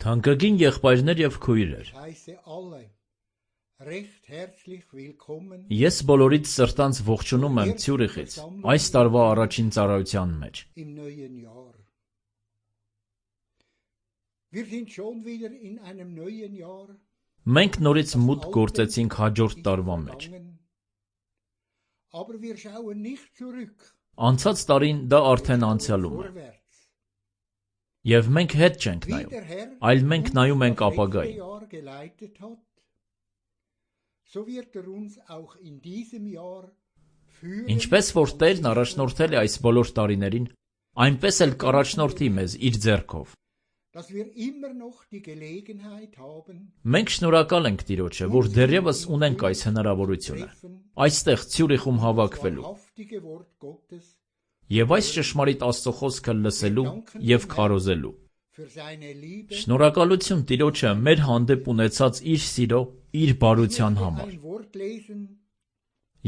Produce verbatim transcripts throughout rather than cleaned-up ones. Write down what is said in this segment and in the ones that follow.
Թանկագին եղբայրներ եւ քույրեր, ես բոլորիդ սրտանց ողջունում եմ Ցյուրիխից այս տարվա առաջին ծառայության մեջ։ Մենք նորից մուտք գործեցինք հաջորդ տարվա մեջ։ Անցած տարին դա արդեն անցյալում է։ Եվ մենք հետ չենք նայում, այլ մենք նայում ենք ապագային։ Ինչպես որ Տերն առաջնորդել է այս բոլոր տարիներին, այնպես էլ կառաջնորդի մեզ իր ձեռքով։ Մենք շնորհակալ ենք Տիրոջը, որ դեռևս ունենք այս հնարավորությունը, այստեղ Ցյուրիխում հավաքվելու և այս ճշմարիտ Աստծո խոսքը լսելու և քարոզելու։ Շնորհակալություն Տիրոջը մեր հանդեպ ունեցած իր սիրո, իր բարության համար։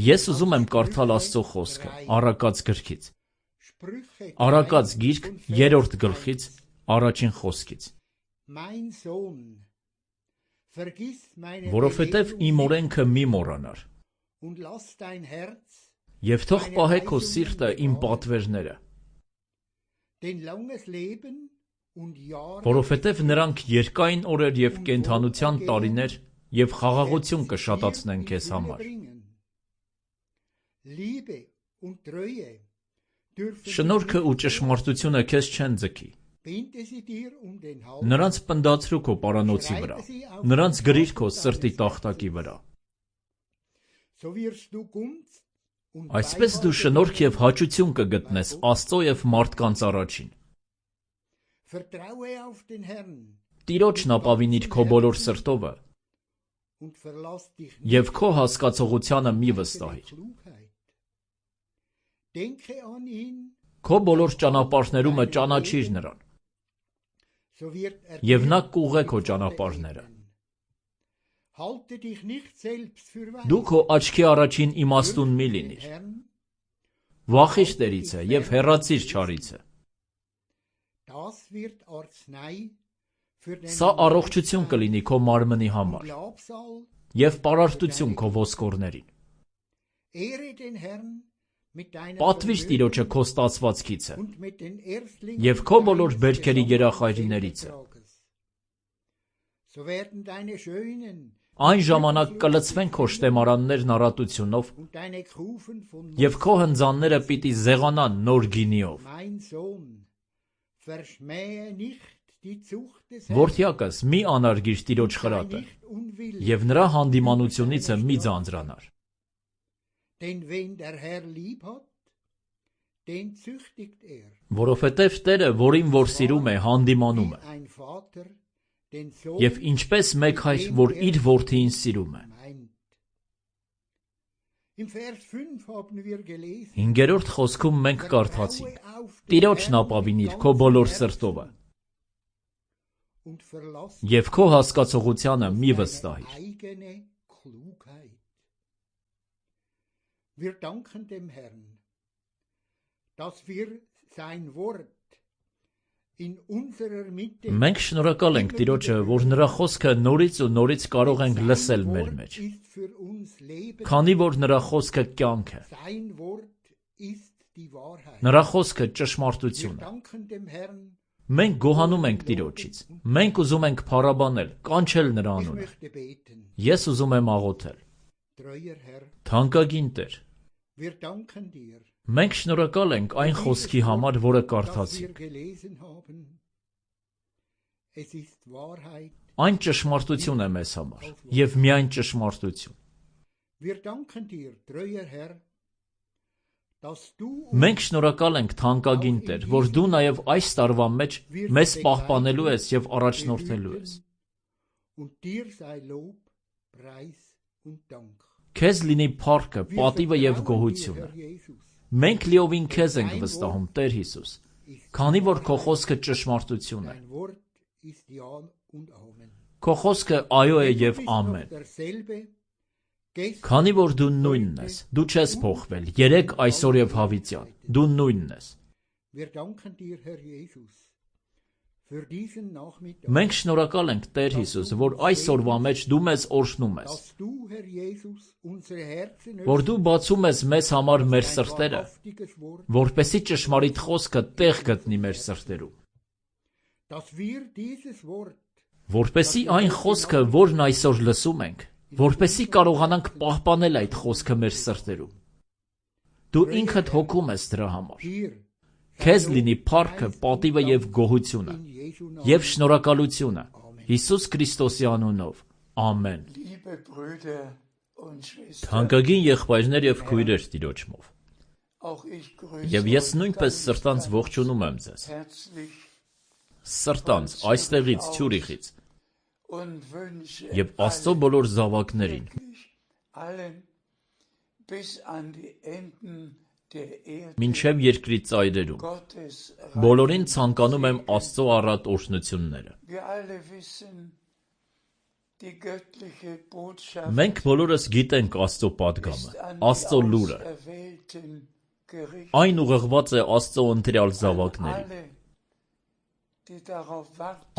Ես ուզում եմ կարդալ Աստծո խոսքը Առակաց գրքից։ Առակաց գիրք երրորդ գլխից առաջին խոսքից։ Որովհետև իմ օրենքը մի մոռանար։ Եվ թող պահե քո սիրտը իմ պատվերները։ Որովհետև նրանք երկայն օրեր և կենդանության տարիներ և խաղաղություն կշատացնեն քեզ համար։ Շնորհքը ու ճշմարտությունը քեզ չեն ձգի։ Նրանց պնդացրու քո պարանոցի վրա, նրանց գրիր քո սրտի տախտակի վրա։ Այսպես դու շնորհք և հաճություն կգտնես Աստծո և մարդկանց առաջին։ Տիրոջն ապավինիր քո բոլոր սրտովը և քո հասկացողությանը մի վստահիր։ Քո բոլոր ճանապարհներումը ճանաչիր նրան, և նա կուղղե քո ճանապարհները։ Դու քո աչքի առաջին իմաստուն մի լինիր։ Վախիր Տերիցը և հեռացիր չարիցը։ Սա առողջություն կլինի քո մարմնի համար և պարարտություն քո ոսկորներին։ Պատվիր Տիրոջը քո ստացվածքիցը և քո բոլոր բերքերի երախայրիներիցը։ Այն ժամանակ կլցվեն քո շտեմարաններն առատությունով, և քո հնձանները պիտի զեղանան նոր գինիով։ Որդյակս, մի անարգիր Տիրոջ խրատը և նրա հանդիմանությունիցը մի ձանձրանար։ Որովհետև Տերը, որին որ սիրում է, հանդիմանում է, և ինչպես մեկ հայր, որ իր որդիին սիրում է։ Հինգերորդ խոսքում մենք կարդացինք. Տիրոջն ապավինիր քո բոլոր սրտովը և քո հասկացողությանը մի վստահիր։ Մենք շնորհակալ ենք Տիրոջը, որ նրա խոսքը նորից ու նորից կարող ենք լսել մեր մեջ, քանի որ նրա խոսքը կյանք է։ Նրա խոսքը ճշմարտություն է։ Մենք գոհանում ենք Տիրոջից։ Մենք ուզում ենք փառաբանել, կանչել նրա անունը։ Ես ուզում եմ աղոթել։ Թանկագին Տեր, մենք շնորհակալ ենք այն խոսքի համար, որը կարդացինք։ Այն ճշմարտություն է մեզ համար, և միայն ճշմարտություն։ Մենք շնորհակալ ենք թանկագին Տեր, որ դու նաև այս տարվա մեջ մեզ պահպանելու ես և առաջնորդելու ես։ Քեզ լինի փառքը, պատիվը և գոհությունը։ Մենք լիովին քեզ ենք վստահում, Տեր Հիսուս, քանի որ քո խոսքը ճշմարտություն է։ Քո խոսքը այո է և ամեն։ Քանի որ դու նույնն ես, դու չես փոխվել, երեկ, այսօր և հավիտյան, դու նույնն ես։ Մենք շնորհակալ ենք, Տեր Հիսուս, որ այս օրվա մեջ դու մեզ օրհնում ես, որ դու բացում ես մեզ համար մեր սրտերը, որպեսզի ճշմարիտ խոսքը տեղ գտնի մեր սրտերում, որպեսզի այն խոսքը, որն այսօր լսում ենք, որպեսզի կարողանանք պահպանել այդ խոսքը մեր սրտերում։ Դու ինքդ հոգում ես դրա համար։ Քեզ լինի փառքը, պատիվը և գոհությունը, և շնորհակալությունը Հիսուս Քրիստոսի անունով։ Ամեն։ Թանկագին եղբայրներ և քույրեր Տիրոջմով, և ես նույնպես սրտանց ողջունում եմ ձեզ, սրտանց, այստեղից, Ցյուրիխից, և Աստծո բոլոր զավակներին, մինչև երկրի ծայրերում, բոլորին ցանկանում եմ Աստծո առատ օրհնությունները։ Մենք բոլորս գիտենք Աստծո պատգամը, Աստծո լուրը։ Այն ուղղված է Աստծո ընտրյալ զավակներին։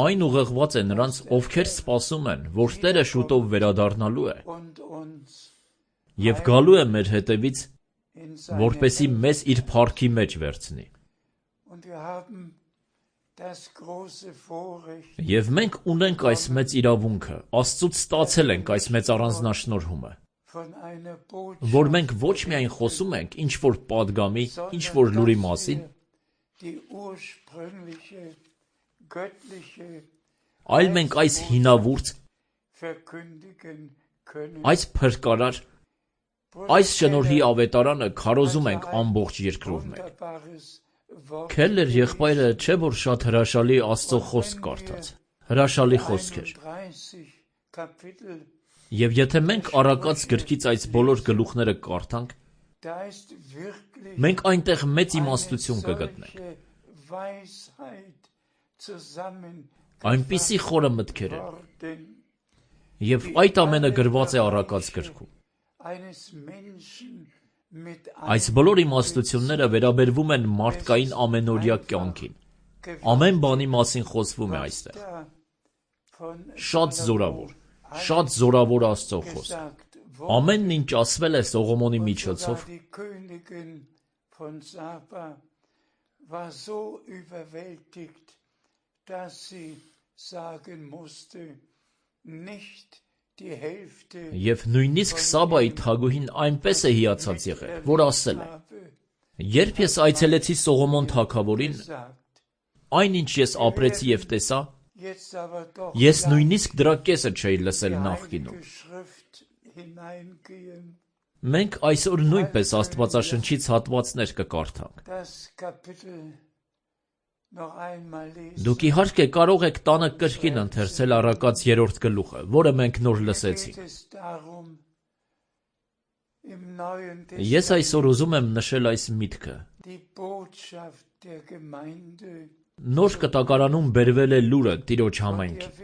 Այն ուղղված է նրանց, ովքեր սպասում են, որ Տերը շուտով վերադառնալու է և գալու է մեր հետևից, որպեսզի մեզ իր փառքի մեջ վերցնի։ Եվ մենք ունենք այս մեծ իրավունքը, Աստծուց ստացել ենք այս մեծ առանձնաշնորհումը, որ մենք ոչ միայն խոսում ենք ինչ-որ պատգամի, ինչ-որ լուրի մասին, այլ մենք այս հինավուրց, այս փրկարար, այս շնորհի ավետարանը քարոզում ենք ամբողջ երկրով մեկ։ Քելլեր եղբայրը չէ որ շատ հրաշալի Աստծո խոսք կարդաց, հրաշալի խոսքեր։ Եվ եթե մենք առակաց գրքից այս բոլոր գլուխները կարդանք, մենք այնտեղ մեծ իմաստություն կգտնենք։ Այնպիսի խորը մտքեր են։ Եվ այդ ամենը գրված է առակաց գրքում։ Այս բոլոր իմաստությունները վերաբերվում են մարդկային ամենօրյա կյանքին։ Ամեն բանի մասին խոսվում է այստեղ։ Շատ զորավոր, շատ զորավոր Աստծո խոսք։ Ամենն ինչ ասվել է Սողոմոնի միջոցով, Եվ նույնիսկ Սաբայի թագուհին այնպես է հիացած եղել, որ ասել է. երբ ես այցելեցի Սողոմոն թագավորին, այնինչ ես ապրեցի և տեսա, ես նույնիսկ դրա կեսը չէի լսել նախկինում։ Մենք այսօր նույնպես Աստվածաշնչից հատվածներ կկարդանք։ Դուք իհարկե կարող եք տանը կրկին ընթերցել առակաց երրորդ գլուխը, որը մենք նոր լսեցինք։ Ես այսօր ուզում եմ նշել այս միտքը։ Նոր կտակարանում բերվել է լուրը Տիրոջ համայնքին։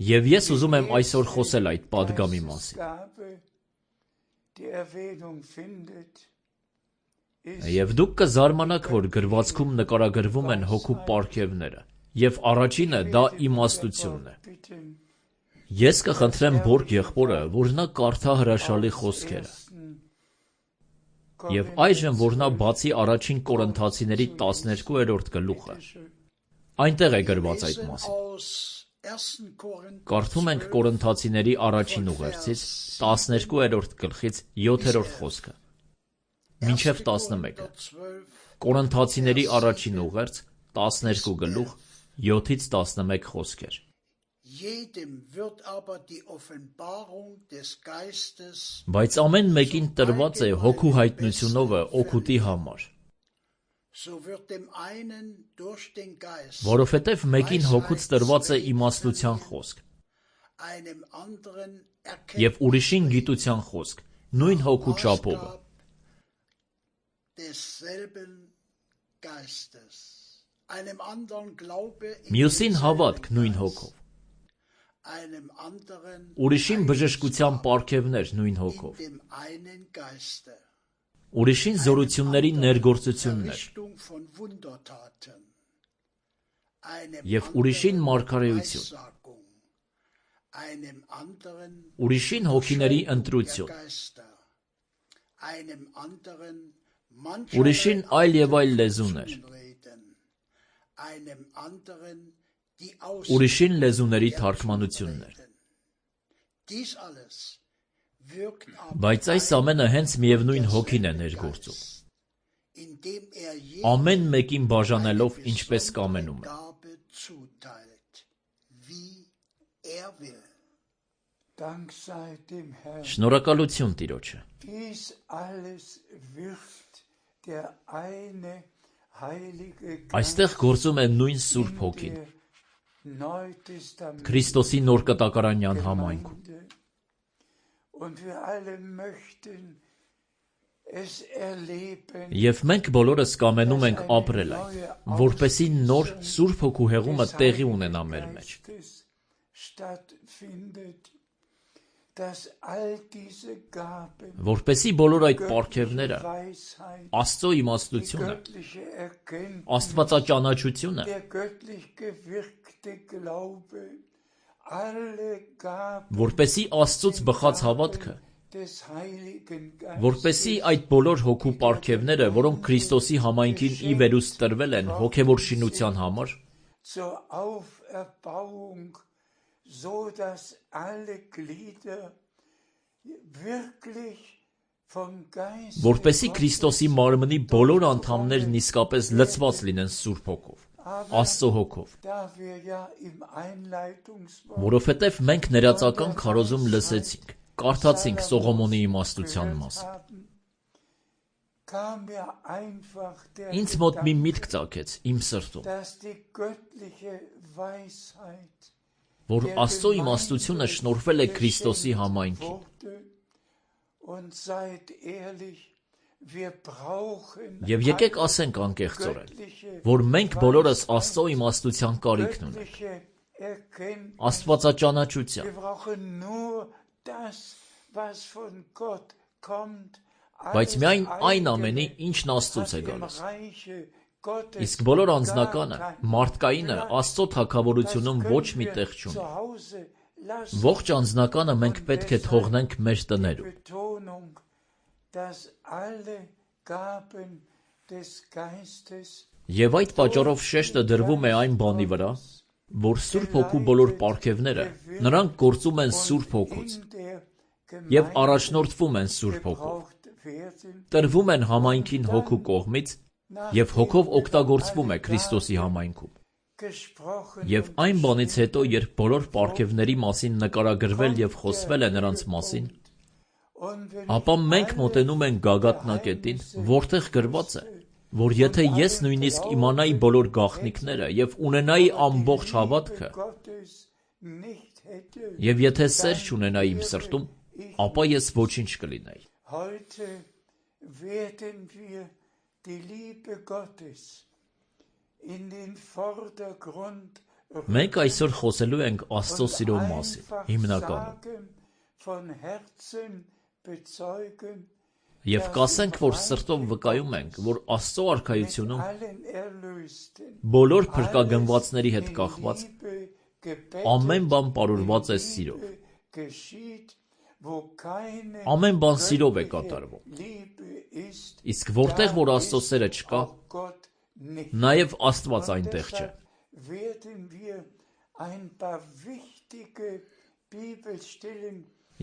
Եվ ես ուզում եմ այսօր խոսել այդ պատգամի մասին։ Եվ դուք կզարմանաք, որ գրվածքում նկարագրվում են հոգու պարգևները, և առաջինը դա իմաստությունն է։ Ես կխնդրեմ Բորգ եղբորը, որ նա կարդա հրաշալի խոսքերը։ Եվ այժմ, որ նա բացի առաջին Կորինթացիների տասներկուերորդ գլուխը, այնտեղ է գրված այդ մասին։ Կարդում ենք Կորինթացիների առաջին ուղերձից տասներկուերորդ գլխից յոթերորդ խոսքը մինչև տասնմեկը։ Կորինթացիների առաջին ուղերձ տասներկու գլուխ յոթից տասնմեկ խոսքեր։ Բայց ամեն մեկին տրված է հոգու հայտնությունովը օգուտի համար։ Որովհետև մեկին հոգուց տրված է իմաստության խոսք, և ուրիշին գիտության խոսք, նույն հոգու չափովը։ Մյուսին հավատք նույն հոգով, ուրիշին բժշկության պարգևներ նույն հոգով, ուրիշին զորությունների ներգործություններ, և ուրիշին մարգարեություն, ուրիշին հոգիների ընտրություն, ուրիշին այլ և այլ լեզուներ, ուրիշին լեզուների թարգմանություններ։ Բայց այս ամենը հենց միևնույն հոգին է ներգործում, ամեն մեկին բաժանելով ինչպես կամենում է։ Շնորհակալություն Տիրոջը։ Այստեղ գործում է նույն Սուրբ Հոգին, Քրիստոսի նոր կտակարանյան համայնքում։ Եվ մենք բոլորս կամենում ենք ապրել այդ, որպեսզի նոր Սուրբ Հոգու հեղումը տեղի ունենա մեր մեջ։ Որպեսզի բոլոր այդ պարգևները, Աստծո իմաստությունը, աստվածաճանաչությունը, որպեսզի Աստծուց բխած հավատքը Որպեսզի այդ բոլոր հոգու պարգևները, որոնք Քրիստոսի համայնքին ի վերուս տրվել են հոգևոր շինության համար, որպեսզի Քրիստոսի մարմնի բոլոր անդամներն իսկապես լցված լինեն Սուրբ Հոգով, Աստծո Հոգով, որովհետև մենք ներածական քարոզում լսեցինք, կարդացինք Սողոմոնի իմաստության մասին։ Ինձ մոտ մի միտք ծագեց իմ սրտում, որ Աստծո իմաստությունը շնորհվել է Քրիստոսի համայնքին։ Եվ եկեք ասենք անկեղծորեն, որ մենք բոլորս Աստծո իմաստության կարիքն ունենք, աստվածաճանաչության, բայց միայն այն ամենի, ինչն Աստծուց է գալիս։ Իսկ բոլոր անձնականը, մարդկայինը Աստծո թագավորությունում ոչ մի տեղ չունի։ Ողջ անձնականը մենք պետք է թողնենք մեր տներում։ Եվ այդ պատճառով շեշտը դրվում է այն բանի վրա, որ Սուրբ Հոգու բոլոր պարգևները նրանք գործում են Սուրբ Հոգուց և առաջնորդվում են Սուրբ Հոգով, տրվում են համայնքին Հոգու կողմից և Հոգով օգտագործվում է Քրիստոսի համայնքում։ Եվ այն բանից հետո, երբ բոլոր պարգևների մասին նկարագրվել և խոսվել է նրանց մասին, ապա մենք մոտենում ենք գագաթնակետին, որտեղ գրված է, որ եթե ես նույնիսկ իմանայի բոլոր գաղտնիքները և ունենայի ամբողջ հավատքը, և եթե սեր չունենայի իմ սրտում, ապա ես ոչինչ կլինեի։ Մենք այսօր խոսելու ենք Աստծո սիրո մասին, հիմնականում։ Եվ կասենք, որ սրտով վկայում ենք, որ Աստծո արքայությունում բոլոր փրկագնվածների հետ կախված ամեն բան պարուրված է սիրով։ Ամեն բան սիրով է կատարվում։ Իսկ որտեղ որ Աստծո սերը չկա, նաև Աստված այնտեղ չէ։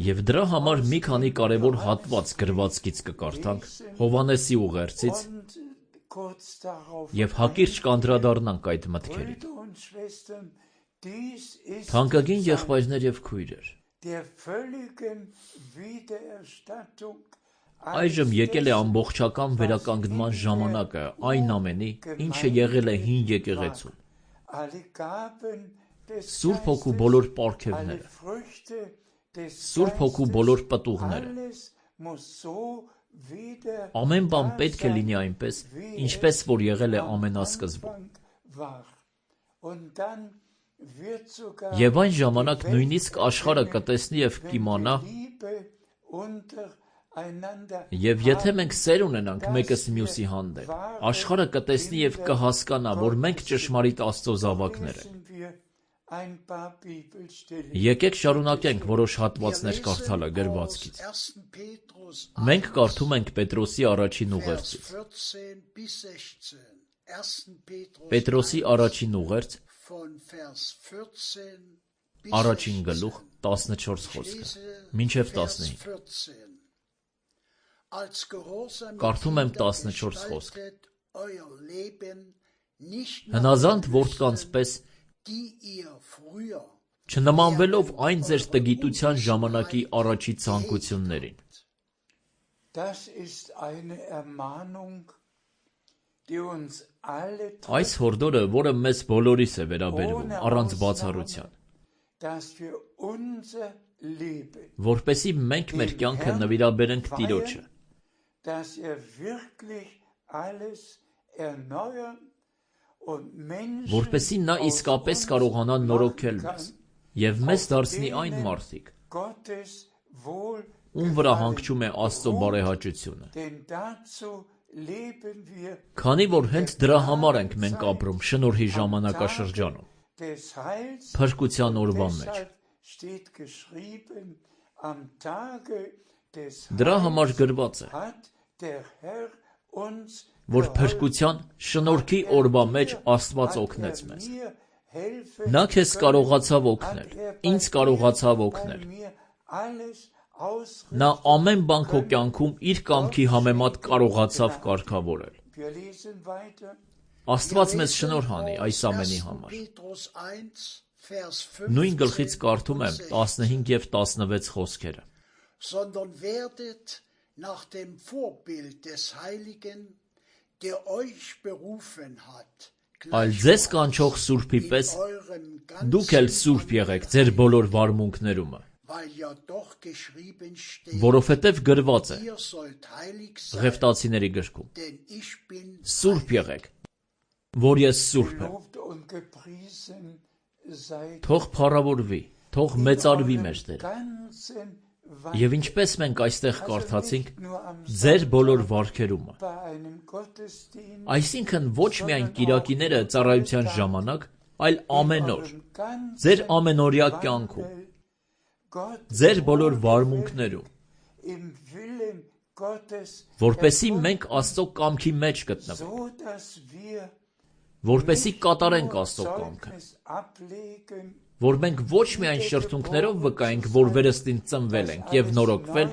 Եվ դրա համար մի քանի կարևոր հատված գրվածքից կկարդանք Հովհաննեսի ուղերձից և հակիրճ կանդրադառնանք այդ մտքերին։ Թանկագին եղբայրներ և քույրեր, այժմ եկել է ամբողջական վերականգնման ժամանակը այն ամենի, ինչը եղել է հին եկեղեցում։ Սուրբ Հոգու բոլոր պարգևները, Սուրբ Հոգու բոլոր պտուղները, ամեն բան պետք է լինի այնպես, ինչպես որ եղել է ամենասկզբում։ Եվ այն ժամանակ նույնիսկ աշխարհը կտեսնի և կիմանա, և եթե մենք սեր ունենանք մեկս մյուսի հանդեպ, աշխարհը կտեսնի և կհասկանա, որ մենք ճշմարիտ Աստծո զավակներ ենք։ Եկեք շարունակենք որոշ հատվածներ կարդալը գրվածքից։ Մենք կարդում ենք Պետրոսի առաջին ուղերձից։ Պետրոսի առաջին ուղերձ, առաջին գլուխ, տասնչորս խոսքը, մինչև տասնհինգ։ Կարդում եմ տասնչորս խոսքը։ Հնազանդ որդկանց պես չնմանվելով այն ձեր տգիտության ժամանակի առաջի ցանկություններին։ Այս հորդորը, որը մեզ բոլորիս է վերաբերվում, առանց բացառության, որպեսզի մենք մեր կյանքը նվիրաբերենք Տիրոջը, որպեսզի նա իսկապես կարողանա նորոգել մեզ և մեզ դարձնի այն մարդիկ, ում վրա հանգչում է Աստծո բարեհաճությունը։ Քանի որ հենց դրա համար ենք մենք ապրում շնորհի ժամանակաշրջանում, փրկության օրվա մեջ։ Դրա համար գրված է, որ փրկության շնորհքի օրվա մեջ Աստված օգնեց մեզ։ Նա քեզ կարողացավ օգնել, ինձ կարողացավ օգնել։ Նա ամեն բան քո կյանքում իր կամքի համեմատ կարողացավ կարգավորել։ Աստված մեզ շնորհ անի այս ամենի համար։ Նույն գլխից կարդում եմ տասնհինգ և տասնվեց խոսքերը։ Sondern werdet nach dem Vorbild des Heiligen, der euch berufen hat, Այլ ձեզ կանչող Սուրբի պես դուք էլ սուրբ եղեք ձեր բոլոր վարմունքներումը, որովհետև գրված է Ղևտացիների գրքում. Սուրբ եղեք, որ ես սուրբ եմ։ Թող փառավորվի, թող մեծարվի մեր Տերը։ Եվ ինչպես մենք այստեղ կարդացինք, ձեր բոլոր վարքերումը։ Այսինքն ոչ միայն կիրակիները ծառայության ժամանակ, այլ ամեն օր, ձեր ամենօրյա կյանքում, ձեր բոլոր վարմունքներում, որպեսզի մենք Աստծո կամքի մեջ գտնվենք, որպեսզի կատարենք Աստծո կամքը, որ մենք ոչ միայն շրթունքներով վկայենք, որ վերստին ծնվել ենք և նորոգվել,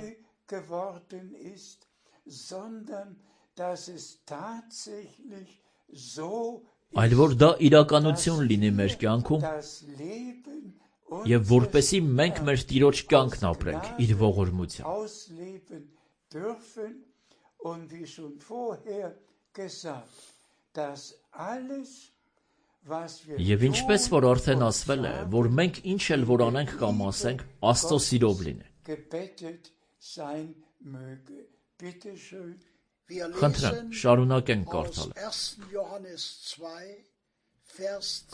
այլ որ դա իրականություն լինի մեր կյանքում և որպեսզի մենք մեր Տիրոջ կյանքն ապրենք իր ողորմությամբ։ Եվ ինչպես որ արդեն ասվել է, որ մենք ինչ էլ որ անենք կամ ասենք, Աստծո սիրով լինի։ Խնդրեմ, շարունակենք կարդալը։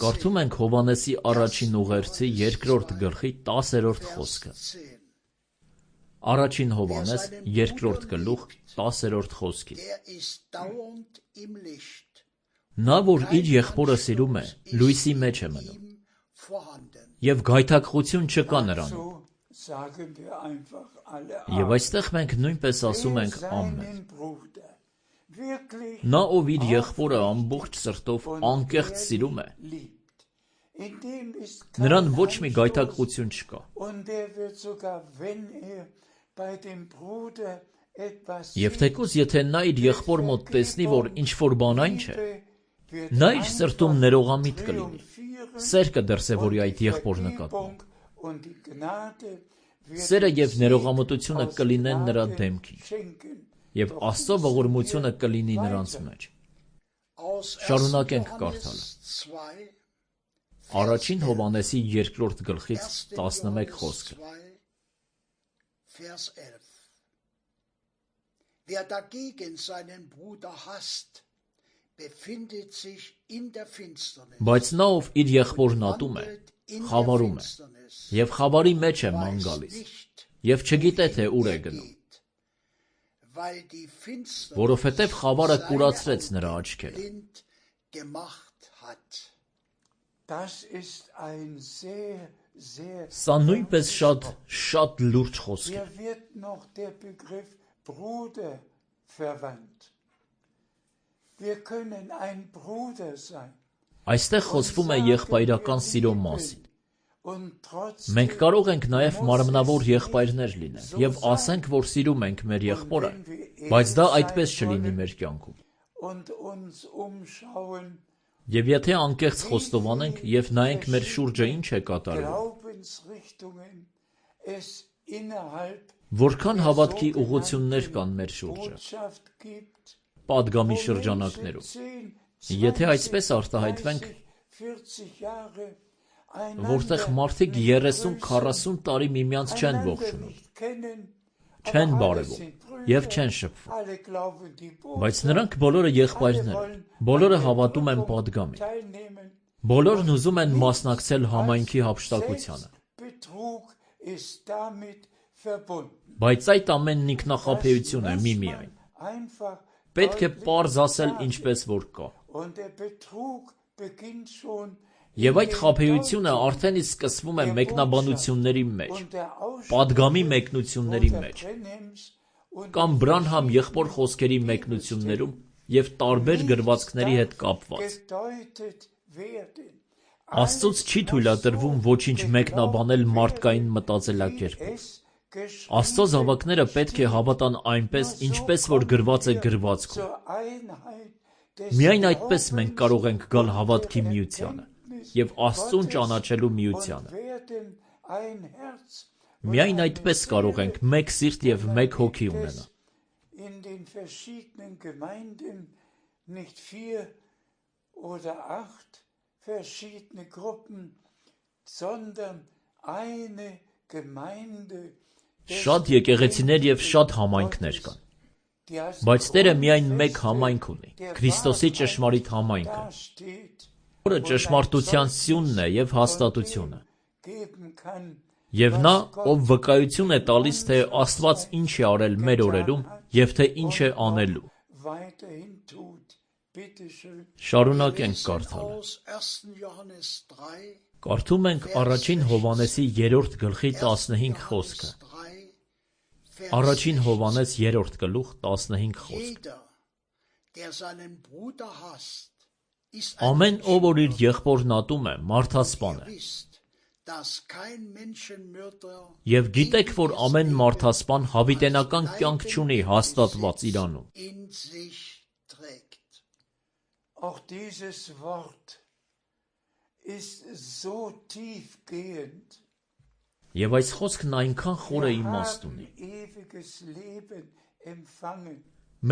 Կարդում ենք Հովհաննեսի առաջին ուղերձի երկրորդ գլխի տասերորդ խոսքը։ Առաջին Հովհաննես երկրորդ գլուխ տասերորդ խոսքի։ Նա, որ իր եղբորը սիրում է, լույսի մեջ է մնում, և գայթակղություն չկա նրանում։ Եվ այստեղ մենք նույնպես ասում ենք ամեն։ Նա, ով իր եղբորը ամբողջ սրտով անկեղծ սիրում է, նրան ոչ մի գայթակղություն չկա։ Եվ թեկուզ եթե նա իր եղբոր մոտ տեսնի, որ ինչ-որ բան այն չէ, նա իր սրտում ներողամիտ կլինի, սեր կդրսևորի այդ եղբոր նկատմամբ։ Սերը և ներողամտությունը կլինեն նրա դեմքին, և Աստծո ողորմությունը կլինի նրանց մեջ։ Շարունակենք կարդալը։ Առաջին Հովհաննեսի երկրորդ գլխից տասնմեկ խոսքը։ Wer dagegen seinen Bruder hasst, befindet sich in der Finsternis. Բայց նա, ով իր եղբորն ատում է, խավարում է, և խավարի մեջ է ման գալիս, և չգիտե, թե ուր է գնում, որովհետև խավարը կուրացրեց նրա աչքերը։ Սա նույնպես շատ, շատ լուրջ խոսք է։ Այստեղ խոսվում է եղբայրական սիրո մասին։ Մենք կարող ենք նաև մարմնավոր եղբայրներ լինել և ասենք, որ սիրում ենք մեր եղբորը, բայց դա այդպես չլինի մեր կյանքում։ Եվ եթե անկեղծ խոստովանենք և նայենք մեր շուրջը ինչ է կատարվում, որքան հավատքի ուղղություններ կան մեր շուրջը, պատգամի շրջանակներում, եթե այսպես արտահայտվենք, որտեղ մարդիկ երեսուն քառասուն տարի միմյանց չեն ողջունում, չեն բարևում և չեն շփվում, բայց նրանք բոլորը եղբայրներ են, բոլորը հավատում են պատգամին, բոլորն ուզում են մասնակցել համայնքի հափշտակությանը, բայց այդ ամենն ինքնախաբեություն է միմիայն։ Պետք է պարզ ասել ինչպես որ կա։ Եվ այդ խաբեությունը արդեն իսկ սկսվում է մեկնաբանությունների մեջ, պատգամի մեկնությունների մեջ, կամ Բրանհամ եղբոր խոսքերի մեկնություններում և տարբեր գրվածքների հետ կապված։ Աստծուց չի թույլատրվում ոչինչ մեկնաբանել մարդկային մտածելակերպով։ Աստծո զավակները պետք է հավատան այնպես, ինչպես որ գրված է գրվածքում։ Միայն այդպես մենք կարող ենք գալ հավատքի միությանը և Աստծուն ճանաչելու միությանը։ Միայն այդպես կարող ենք մեկ սիրտ և մեկ հոգի ունենալ։ Շատ եկեղեցիներ և շատ համայնքներ կան, բայց Տերը միայն մեկ համայնք ունի, Քրիստոսի ճշմարիտ համայնքը, որը ճշմարտության սյունն է և հաստատությունը։ Եվ նա, ով վկայություն է տալիս, թե Աստված ինչ է արել մեր օրերում և թե ինչ է անելու։ Շարունակենք կարդալը։ Կարդում ենք առաջին Հովհաննեսի երրորդ գլխի տասնհինգ խոսքը։ Առաջին Հովհաննես երրորդ գլուխ տասնհինգ խոսք։ Ամեն ով որ իր եղբորն ատում է, մարդասպան է։ Եվ գիտեք, որ ամեն մարդասպան հավիտենական կյանք չունի հաստատված իրանում։ Եվ այս խոսքն այնքան խոր է իմաստ ունի։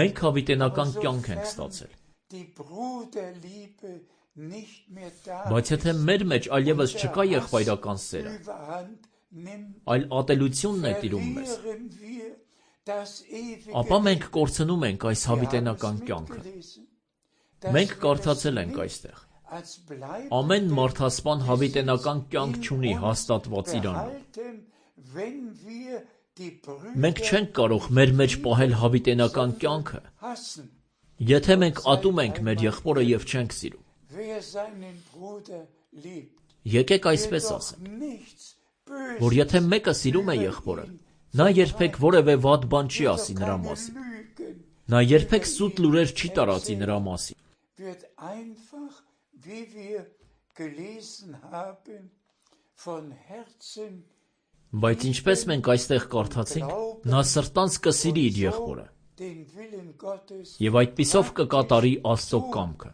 Մենք հավիտենական կյանք ենք ստացել։ Բայց եթե մեր մեջ այլևս չկա եղբայրական սերը, այլ ատելությունն է տիրում մեզ, ապա մենք կորցնում ենք այս հավիտենական կյանքը։ Մենք կարդացել ենք այստեղ. ամեն մարդասպան հավիտենական կյանք չունի հաստատված իրանում։ Մենք չենք կարող մեր մեջ պահել հավիտենական կյանքը, եթե մենք ատում ենք մեր եղբորը և չենք սիրում։ Եկեք այսպես ասենք, որ եթե մեկը սիրում է եղբորը, նա երբեք որևէ վատ բան չի ասի նրա մասին։ Նա երբեք սուտ լուրեր չի տարածի նրա մասին։ Բայց ինչպես մենք այստեղ կարդացինք, նա սրտանց կսիրի իր եղբորը և այդպիսով կկատարի Աստծո կամքը։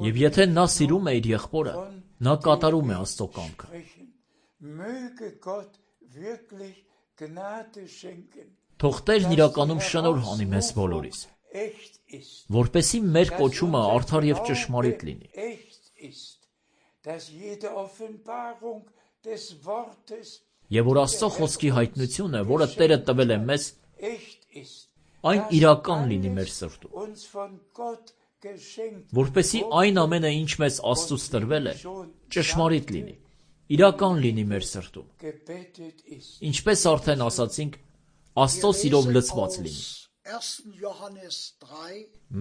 Եվ եթե նա սիրում է իր եղբորը, նա կատարում է Աստծո կամքը։ Թող Տերն իրականում շնորհ անի մեզ բոլորիս, որպեսզի մեր կոչումը արդար և ճշմարիտ լինի։ Եվ որ Աստծո խոսքի հայտնությունը, որը Տերը տվել է մեզ, այն իրական լինի մեր սրտում, որպեսզի այն ամենը, ինչ մեզ Աստծուց տրվել է, ճշմարիտ լինի, իրական լինի մեր սրտում։ Ինչպես արդեն ասացինք, Աստծո սիրով լցված լինի։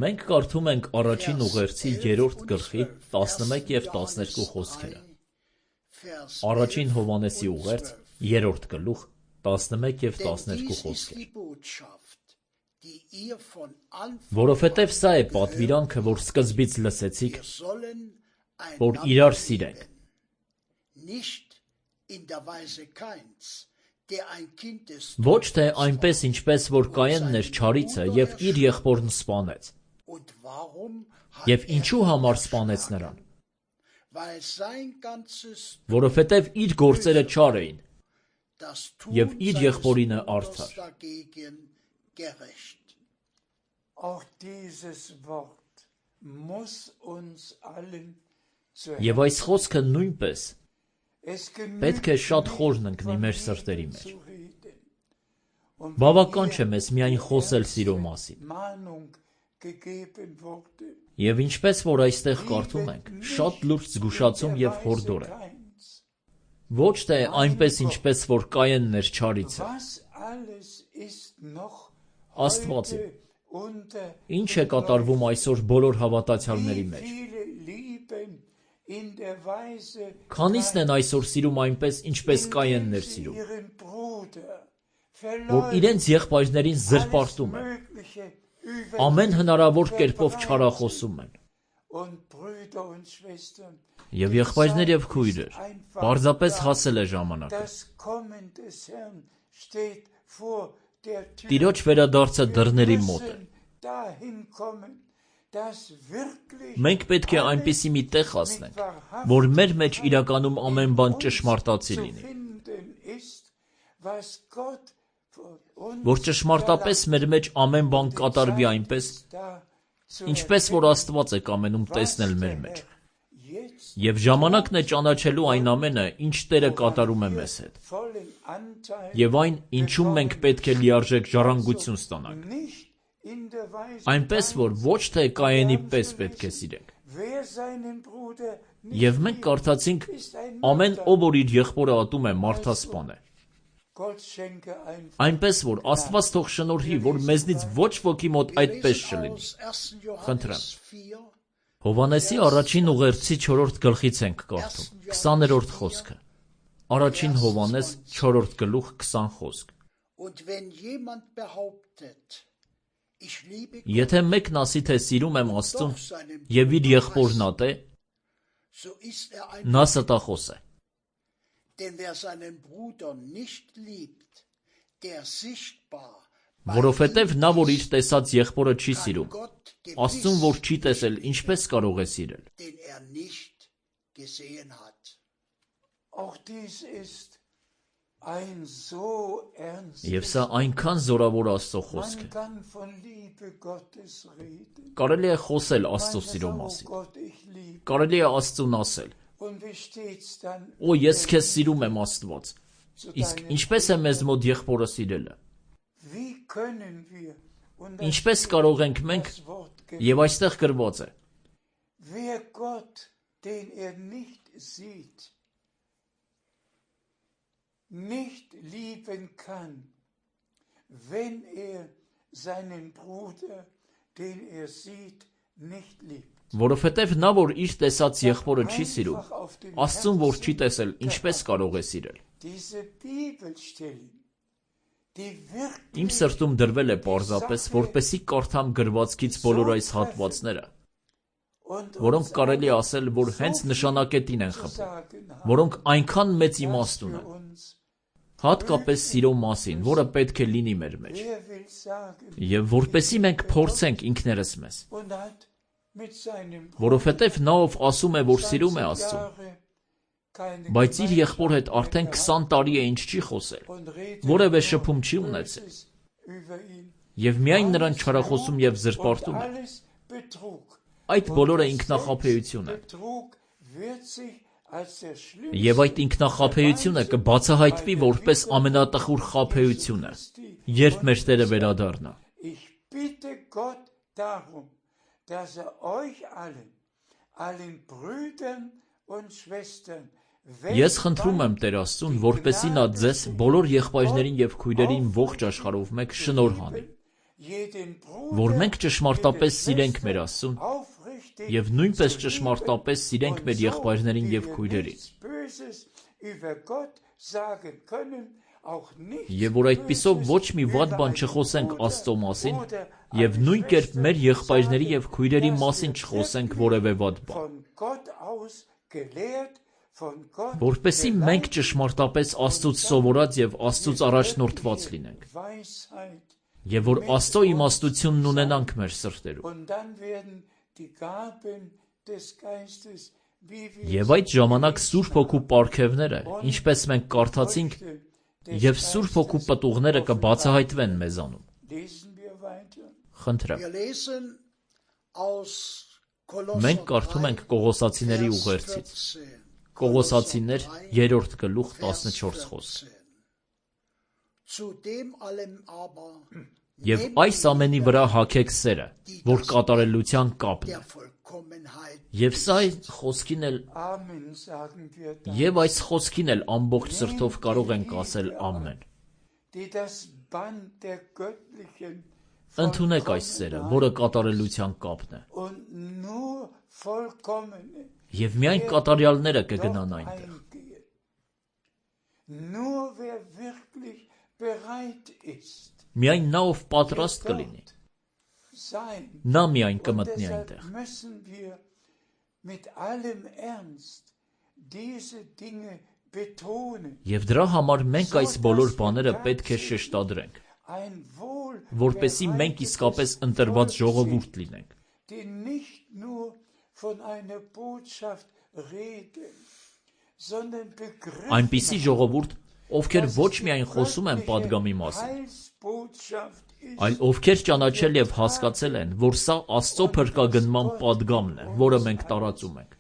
Մենք կարդում ենք առաջին ուղերձի երրորդ գլխի տասնմեկ և տասներկու խոսքերը։ Առաջին Հովհաննեսի ուղերձ երրորդ գլուխ տասնմեկ և տասներկու խոսքեր։ Որովհետև սա է պատվիրանքը, որ սկզբից լսեցիք, որ իրար սիրենք։ Ոչ թե այնպես, ինչպես որ Կայենն էր չարիցը և իր եղբորն սպանեց։ Եվ ինչու համար սպանեց նրան։ Որովհետև իր գործերը չար էին, և իր եղբորինը արդար։ Եվ այս խոսքը նույնպես պետք է շատ խորն ընկնի մեր սրտերի մեջ։ Բավական չէ մեզ միայն խոսել սիրո մասին։ Եվ ինչպես որ այստեղ կարդում ենք, շատ լուրջ զգուշացում և հորդոր է։ Ոչ թե այնպես, ինչպես որ Կայենն էր չարիցը։ Աստված իմ, Ինչ է կատարվում այսօր բոլոր հավատացյալների մեջ։ Քանիսն են այսօր սիրում այնպես, ինչպես Կայենն էր սիրում, որ իրենց եղբայրներին զրպարտում են, ամեն հնարավոր կերպով չարախոսում են։ Եվ եղբայրներ եւ քույրեր, պարզապես հասել է ժամանակը։ Տիրոջ վերադարձը դռների մոտ է։ Մենք պետք է այնպիսի մի տեղ հասնենք, որ մեր մեջ իրականում ամեն բան ճշմարտացի լինի, որ ճշմարտապես մեր մեջ ամեն բան կատարվի այնպես, ինչպես որ Աստված է կամենում տեսնել մեր մեջ։ Եվ ժամանակն է ճանաչելու այն ամենը, ինչ Տերը կատարում է մեզ հետ, եւ այն, ինչում մենք պետք է լիարժեք ժառանգություն ստանանք, այնպես որ ոչ թե Կայենի պես պետք է սիրենք։ Եվ մենք կարդացինք. ամեն ով որ իր եղբորը ատում է, մարդասպան է։ Այնպես որ Աստված թող շնորհի, որ մեզնից ոչ ոքի մոտ այդպես չլինի։ Խնդրեմ։ Հովհաննեսի առաջին ուղերձի չորրորդ գլխից ենք կարդում, քսաներորդ խոսքը։ Առաջին Հովհաննես չորրորդ գլուխ քսան խոսք։ Եթե մեկն ասի, թե սիրում եմ Աստծուն, եւ իր եղբորն ատե, նա ստախոս է։ Որովհետև նա, որ իր տեսած եղբորը չի սիրում, Աստծուն, որ չի տեսել, ինչպես կարող է սիրել։ Եվ սա այնքան զորավոր Աստծո խոսք է։ Կարելի է խոսել Աստծո սիրո մասին։ Կարելի է Աստծուն ասել. «Օ, ես քեզ սիրում եմ, Աստված»։ Իսկ ինչպես է մեզ մոտ եղբորը սիրելը։ Ինչպես կարող ենք մենք, եւ այստեղ գրված է. nicht lieben kann, wenn er seinen Bruder, den er sieht, nicht liebt. Որովհետև նա, որ իր տեսած եղբորը չի սիրում, Աստծուն, որ չի տեսել, ինչպես կարող է սիրել։ Իմ սրտում դրվել է պարզապես, որպեսզի կարդամ գրվածքից բոլոր այս հատվածները, որոնք կարելի ասել, որ հենց նշանակետին են խփում, որոնք այնքան մեծ իմաստ ունեն, հատկապես սիրո մասին, որը պետք է լինի մեր մեջ, եւ որպեսզի մենք փորձենք ինքներս մեզ, որովհետև նա, ով ասում է, որ սիրում է Աստծուն, բայց իր եղբոր հետ արդեն քսան տարի է ինչ չի խոսել, որևէ շփում չի ունեցել, եւ միայն նրան չարախոսում եւ զրպարտում է, այդ բոլորը ինքնախաբեություն է։ Եվ այդ ինքնախաբեությունը կբացահայտվի որպես ամենատխուր խաբեությունը, երբ մեր Տերը վերադառնա։ Ես խնդրում եմ Տեր Աստծուն, որպեսզի նա ձեզ բոլոր եղբայրներին եւ քույրերին ողջ աշխարհով մեկ շնորհ հանի, որ մենք ճշմարտապես սիրենք մեր Աստծուն եւ նույնպես ճշմարտապես սիրենք մեր եղբայրներին եւ քույրերին։ Եվ որ այդպիսով ոչ մի վատ բան չխոսենք Աստծո մասին եւ նույն կերպ մեր եղբայրների եւ քույրերի մասին չխոսենք որևէ վատ բան, որպեսզի մենք ճշմարտապես Աստծուց սովորած եւ Աստծուց առաջնորդված լինենք, եւ որ Աստծո իմաստությունն ունենանք մեր սրտերում։ Եվ այդ ժամանակ Սուրբ Հոգու պարգևները, ինչպես մենք կարդացինք, եւ Սուրբ Հոգու պտուղները կբացահայտվեն մեզանում։ Խնդրեմ։ Մենք կարդում ենք Կողոսացիների ուղերձից։ Կողոսացիներ երրորդ գլուխ տասնչորս խոսք։ Եվ այս ամենի վրա հագեք սերը, որ կատարելության կապն է։ Եվ սա խոսքին էլ Եվ այս խոսքին էլ ամբողջ սրտով կարող ենք ասել ամեն։ Ընդունեք այս սերը, որը կատարելության կապն է, und nur vollkommene եւ միայն կատարյալները կգնան այնտեղ։ eingehen. Nur wer wirklich bereit ist, Միայն նա, ով պատրաստ կլինի, sein. նա միայն Und կմտնի deshalb այնտեղ։ müssen wir mit allem Ernst diese Dinge betonen. Եվ դրա համար մենք այս բոլոր բաները պետք է շեշտադրենք, Ein wohl որպեսզի մենք իսկապես ընտրված ժողովուրդ լինենք, die nicht nur von einer Botschaft reden, sondern begriffen այնպիսի ժողովուրդ, ովքեր ոչ միայն խոսում են падգամի մասին, Heilsbotschaft ist. այլ ովքեր ճանաչել եւ հասկացել են, որ սա Աստծո փրկագնման падգամն է, որը մենք տարածում ենք,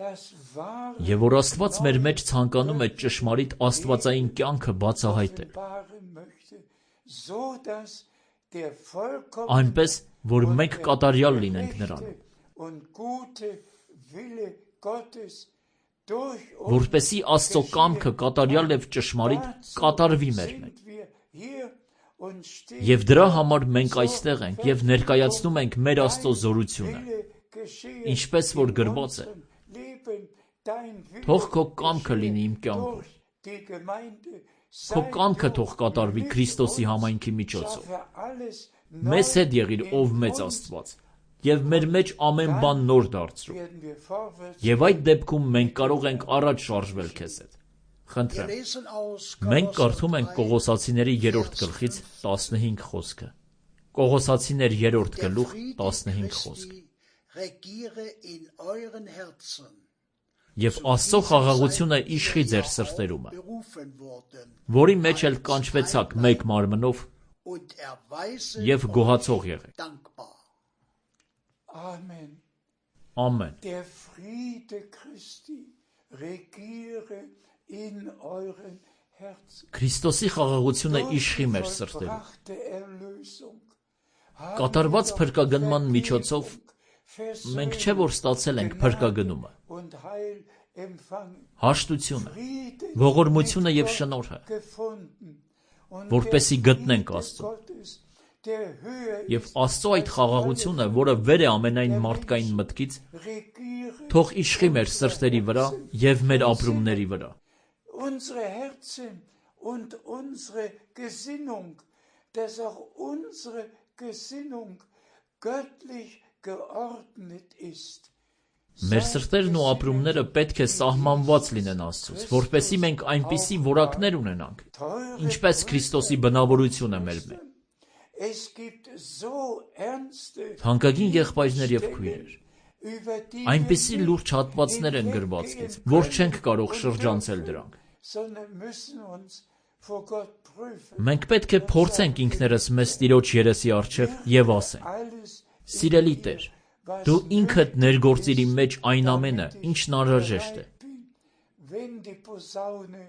Das wahre եւ որ Աստված մեր մեջ ցանկանում է ճշմարիտ աստվածային կյանքը բացահայտել, offenbaren möchte, so dass der vollkommene այնպես, որ մենք կատարյալ լինենք նրան, und gute Wille Gottes durch որպեսզի Աստծո կամքը կատարյալ եւ ճշմարիտ կատարվի մեր մեջ։ sind wir hier und stehen Եվ դրա համար մենք այստեղ ենք եւ ներկայացնում ենք մեր Աստծո զորությունը, Wille geschehen ինչպես որ գրված է. Leben, dein Wille Թող քո կամքը լինի իմ կյանքում, durch die Gemeinde քո կամքը թող կատարվի Քրիստոսի համայնքի միջոցով։ schaffe alles Մեզ հետ եղիր, ով մեծ Աստված, եւ մեր մեջ ամեն բան նոր դարձրու։ werden wir vorwärts Եվ այդ դեպքում մենք կարող ենք առաջ շարժվել քեզ հետ։ Wir Խնդրեմ, lesen aus մենք Kolosser կարդում ենք drei, Կողոսացիների երրորդ գլխից տասնհինգ խոսքը։ Կողոսացիներ երրորդ der գլուխ Friede տասնհինգ խոսք։ Christi regiere in euren Herzen, Եվ Աստծո խաղաղությունը իշխի ձեր սրտերումը, berufen wurden, որի մեջ էլ կանչվեցաք մեկ մարմնով und erweise եւ գոհացող եղեք։ dankbar. Amen. Ամեն։ Der Friede Christi regiere in euren Herzen. Քրիստոսի խաղաղությունը Durch իշխի die մեր սրտերում։ vollbrachte Erlösung haben Կատարված wir doch փրկագնման Vergebung, միջոցով Versöhnung, մենք չէ որ ստացել ենք փրկագնումը, und Heil empfangen. հաշտությունը, Friede ողորմությունը mit եւ Gott շնորհը, gefunden. Und որպեսզի der գտնենք Friede Աստծուն։ Gottes, der höher Եվ ist Աստծո այդ als խաղաղությունը, alle որը վեր է ամենայն մարդկային մտքից, regiere թող իշխի մեր սրտերի վրա եւ մեր ապրումների վրա։ unsere Herzen und unsere Gesinnung, dass auch unsere Gesinnung göttlich geordnet ist. Մեր սրտերն ու ապրումները պետք է սահմանված լինեն Աստծուց, որպեսզի մենք այնպիսի որակներ ունենանք, ինչպես Քրիստոսի բնավորությունը մեր մեջ։ Es gibt so ernste Թանկագին եղբայրներ եւ քույրեր, über die այնպիսի wir լուրջ հատվածներ են գրվածքից, որ չենք կարող շրջանցել դրանք։ sondern müssen uns vor Gott prüfen. Մենք պետք է փորձենք ինքներս մեզ Տիրոջ երեսի առջև եւ ասենք. Alles Սիրելի Տեր, դու ինքդ ներգործիր իմ մեջ այն ամենը, ինչն անհրաժեշտ է, wenn die Posaune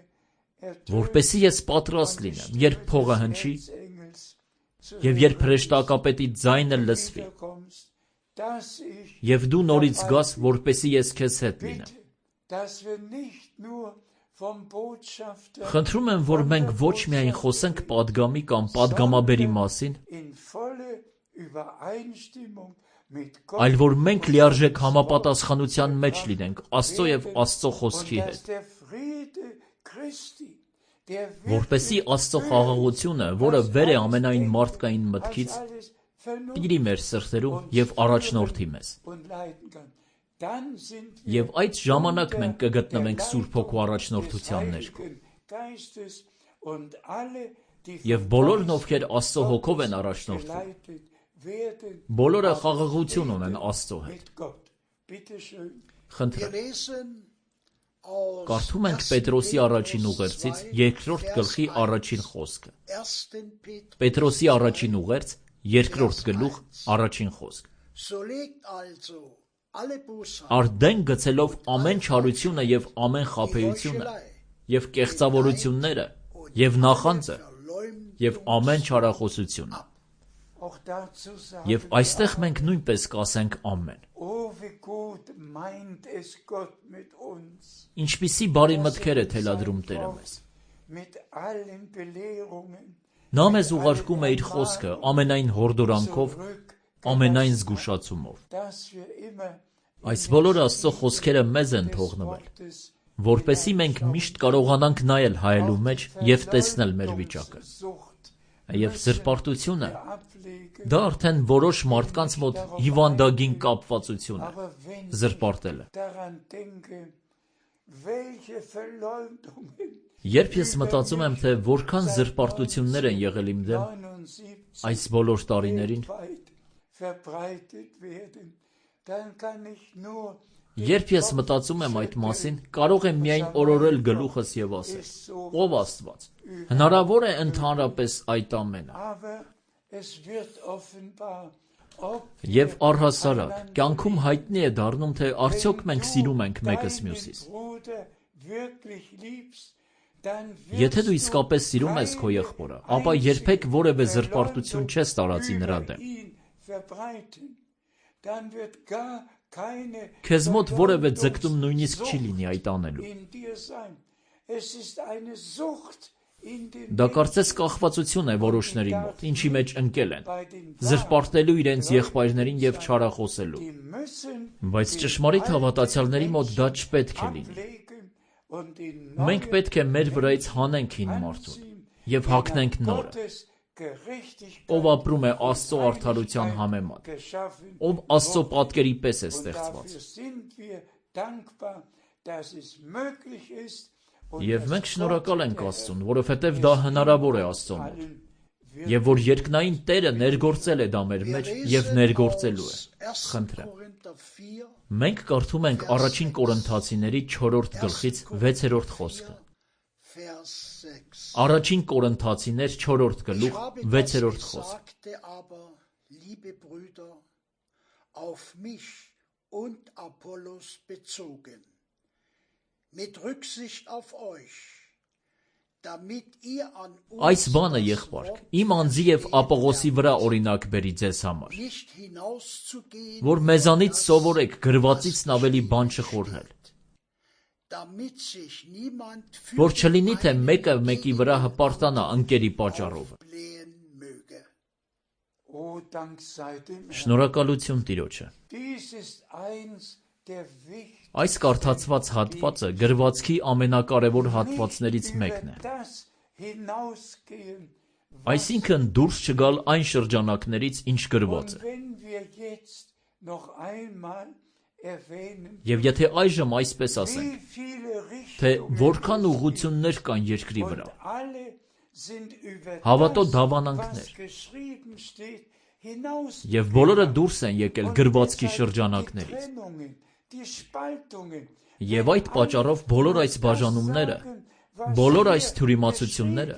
ertönt որպեսզի ես պատրաստ լինեմ, երբ փողը հնչի Engels zu եւ երբ հրեշտակապետի ձայնը լսվի, kommst, dass ich եւ դու նորից գաս, որպեսզի ես քեզ հետ լինեմ։ bitte, dass wir nicht nur vom Botschafter Խնդրում եմ, որ մենք ոչ միայն խոսենք падգամի կամ падգամաբերի մասին, in volle Übereinstimmung mit Gott, այլ որ մենք լիարժեք համապատասխանության մեջ լինենք Աստծո եւ Աստծո խոսքի und հետ, dass der Friede Christi, der որպեսզի Աստծո խաղաղությունը, որը վեր է ամենայն մարդկային մտքից, alles vernunft տիրի մեր սրտերում եւ առաջնորդի մեզ։ und leiten kann. Dann sind Եվ այդ ժամանակ մենք կգտնվենք Սուրբ Հոգու առաջնորդության ներքո։ Geistes und alle, die Եվ բոլորն, ովքեր Աստծո հոգով են առաջնորդվում, geleitet werden բոլորը խաղաղություն ունեն Աստծո հետ։ mit Gott. Bitte schön. Wir Խնդրեմ, lesen aus կարդում ենք ersten Պետրոսի Petrus առաջին ուղերձից zwei, երկրորդ Vers գլխի eins. առաջին խոսքը։ ersten Petrus Պետրոսի առաջին ուղերձ, երկրորդ գլուխ, առաջին խոսք։ So legt also alle Bosheit, Արդեն գցելով ամեն չարությունը եւ ամեն խաբեությունը եւ կեղծավորությունները եւ նախանձը Verleumdung եւ ամեն չարախոսությունը։ Auch dazu sagen, Եվ այստեղ մենք նույնպես կասենք ամեն։ oh, wie gut meint es Gott mit uns. Ինչպիսի բարի մտքեր է թելադրում Տերը մեզ։ Mit allen Belehrungen Նա մեզ ուղարկում է իր խոսքը ամենայն հորդորանքով, ամենայն զգուշացումով։ Այս բոլոր Աստծո խոսքերը մեզ են թողնվել, որպեսզի մենք միշտ կարողանանք նայել հայելու մեջ և տեսնել մեր վիճակը։ Եվ զրպարտությունը դա արդեն որոշ մարդկանց մոտ հիվանդագին կապվածություն է, զրպարտելը։ Երբ ես մտածում եմ, թե որքան զրպարտություններ են եղել իմ դեմ այս բոլոր տարիներին, երբ ես մտածում եմ այդ մասին, կարող եմ միայն օրորել գլուխս և ասել. Ով Աստված, հնարավոր է ընդհանրապես այդ ամենը։ Եվ առհասարակ, կյանքում հայտնի է դառնում, թե արդյոք մենք սիրում ենք մեկս մյուսից։ Եթե դու իսկապես սիրում ես քո եղբորը, ապա երբեք որևէ զրպարտություն չես տարածի նրա դեմ։ Քեզ մոտ որևէ ձգտում նույնիսկ չի լինի այդ անելու։ Դա կարծես կախվածություն է որոշների մոտ, ինչի մեջ ընկել են, զրպարտելու իրենց եղբայրներին և չարախոսելու։ Բայց ճշմարիտ հավատացյալների մոտ դա չպետք է լինի։ Մենք պետք է մեր վրայից հանենք հին մարդուն և հագնենք նորը, ով ապրում է Աստծո արդարության համեմատ, ով Աստծո պատկերի պես է ստեղծված։ Եվ մենք շնորհակալ ենք Աստծուն, որովհետև դա հնարավոր է Աստծո մոտ, և որ երկնային Տերը ներգործել է դա մեր մեջ և ներգործելու է։ Խնդրեմ։ Մենք կարդում ենք առաջին Կորինթացիների չորրորդ գլխից վեցերորդ խոսքը։ Առաջին Կորինթացիներ չորրորդ գլուխ վեցերորդ խոսքը։ Այս բանը, եղբայրք, իմ անձի և Ապողոսի վրա օրինակ բերի ձեզ համար, որ մեզանից սովորեք գրվածիցն ավելի բան չխորհել, որ չլինի, թե մեկը մեկի վրա հպարտանա ընկերի պատճառով։ Շնորհակալություն Տիրոջը։ Այս կարդացված հատվածը գրվածքի ամենակարևոր հատվածներից մեկն է։ Այսինքն դուրս չգալ այն շրջանակներից, ինչ գրված է։ Եվ եթե այժմ այսպես ասենք, թե որքան ուղղություններ կան երկրի վրա, հավատո դավանանքներ, և բոլորը դուրս են եկել գրվածքի շրջանակներից։ Եվ այդ պատճառով բոլոր այս բաժանումները, բոլոր այս թյուրիմացությունները,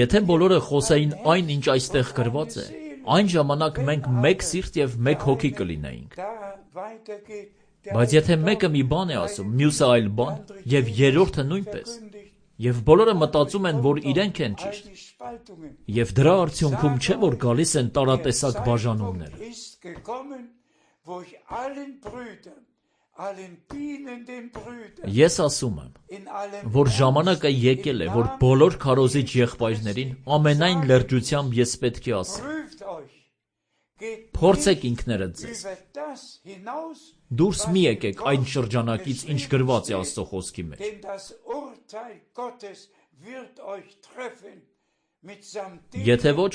եթե բոլորը խոսեին այն, ինչ այստեղ գրված է, այն ժամանակ մենք մեկ սիրտ և մեկ հոգի կլինեինք։ Բայց եթե մեկը մի բան է ասում, մյուսը այլ բան, և երրորդը նույնպես, և բոլորը մտածում են, որ իրենք են ճիշտ, և դրա արդյունքում չէ, որ գալիս են տարատեսակ բաժանումները։ Ես ասում եմ, որ ժամանակը եկել է, որ բոլոր քարոզիչ եղբայրներին ամենայն լրջությամբ ես պետք է ասեմ. փորձեք ինքներդ ձեզ, դուրս մի եկեք այն շրջանակից, ինչ գրված է Աստծո խոսքի մեջ։ Եթե ոչ,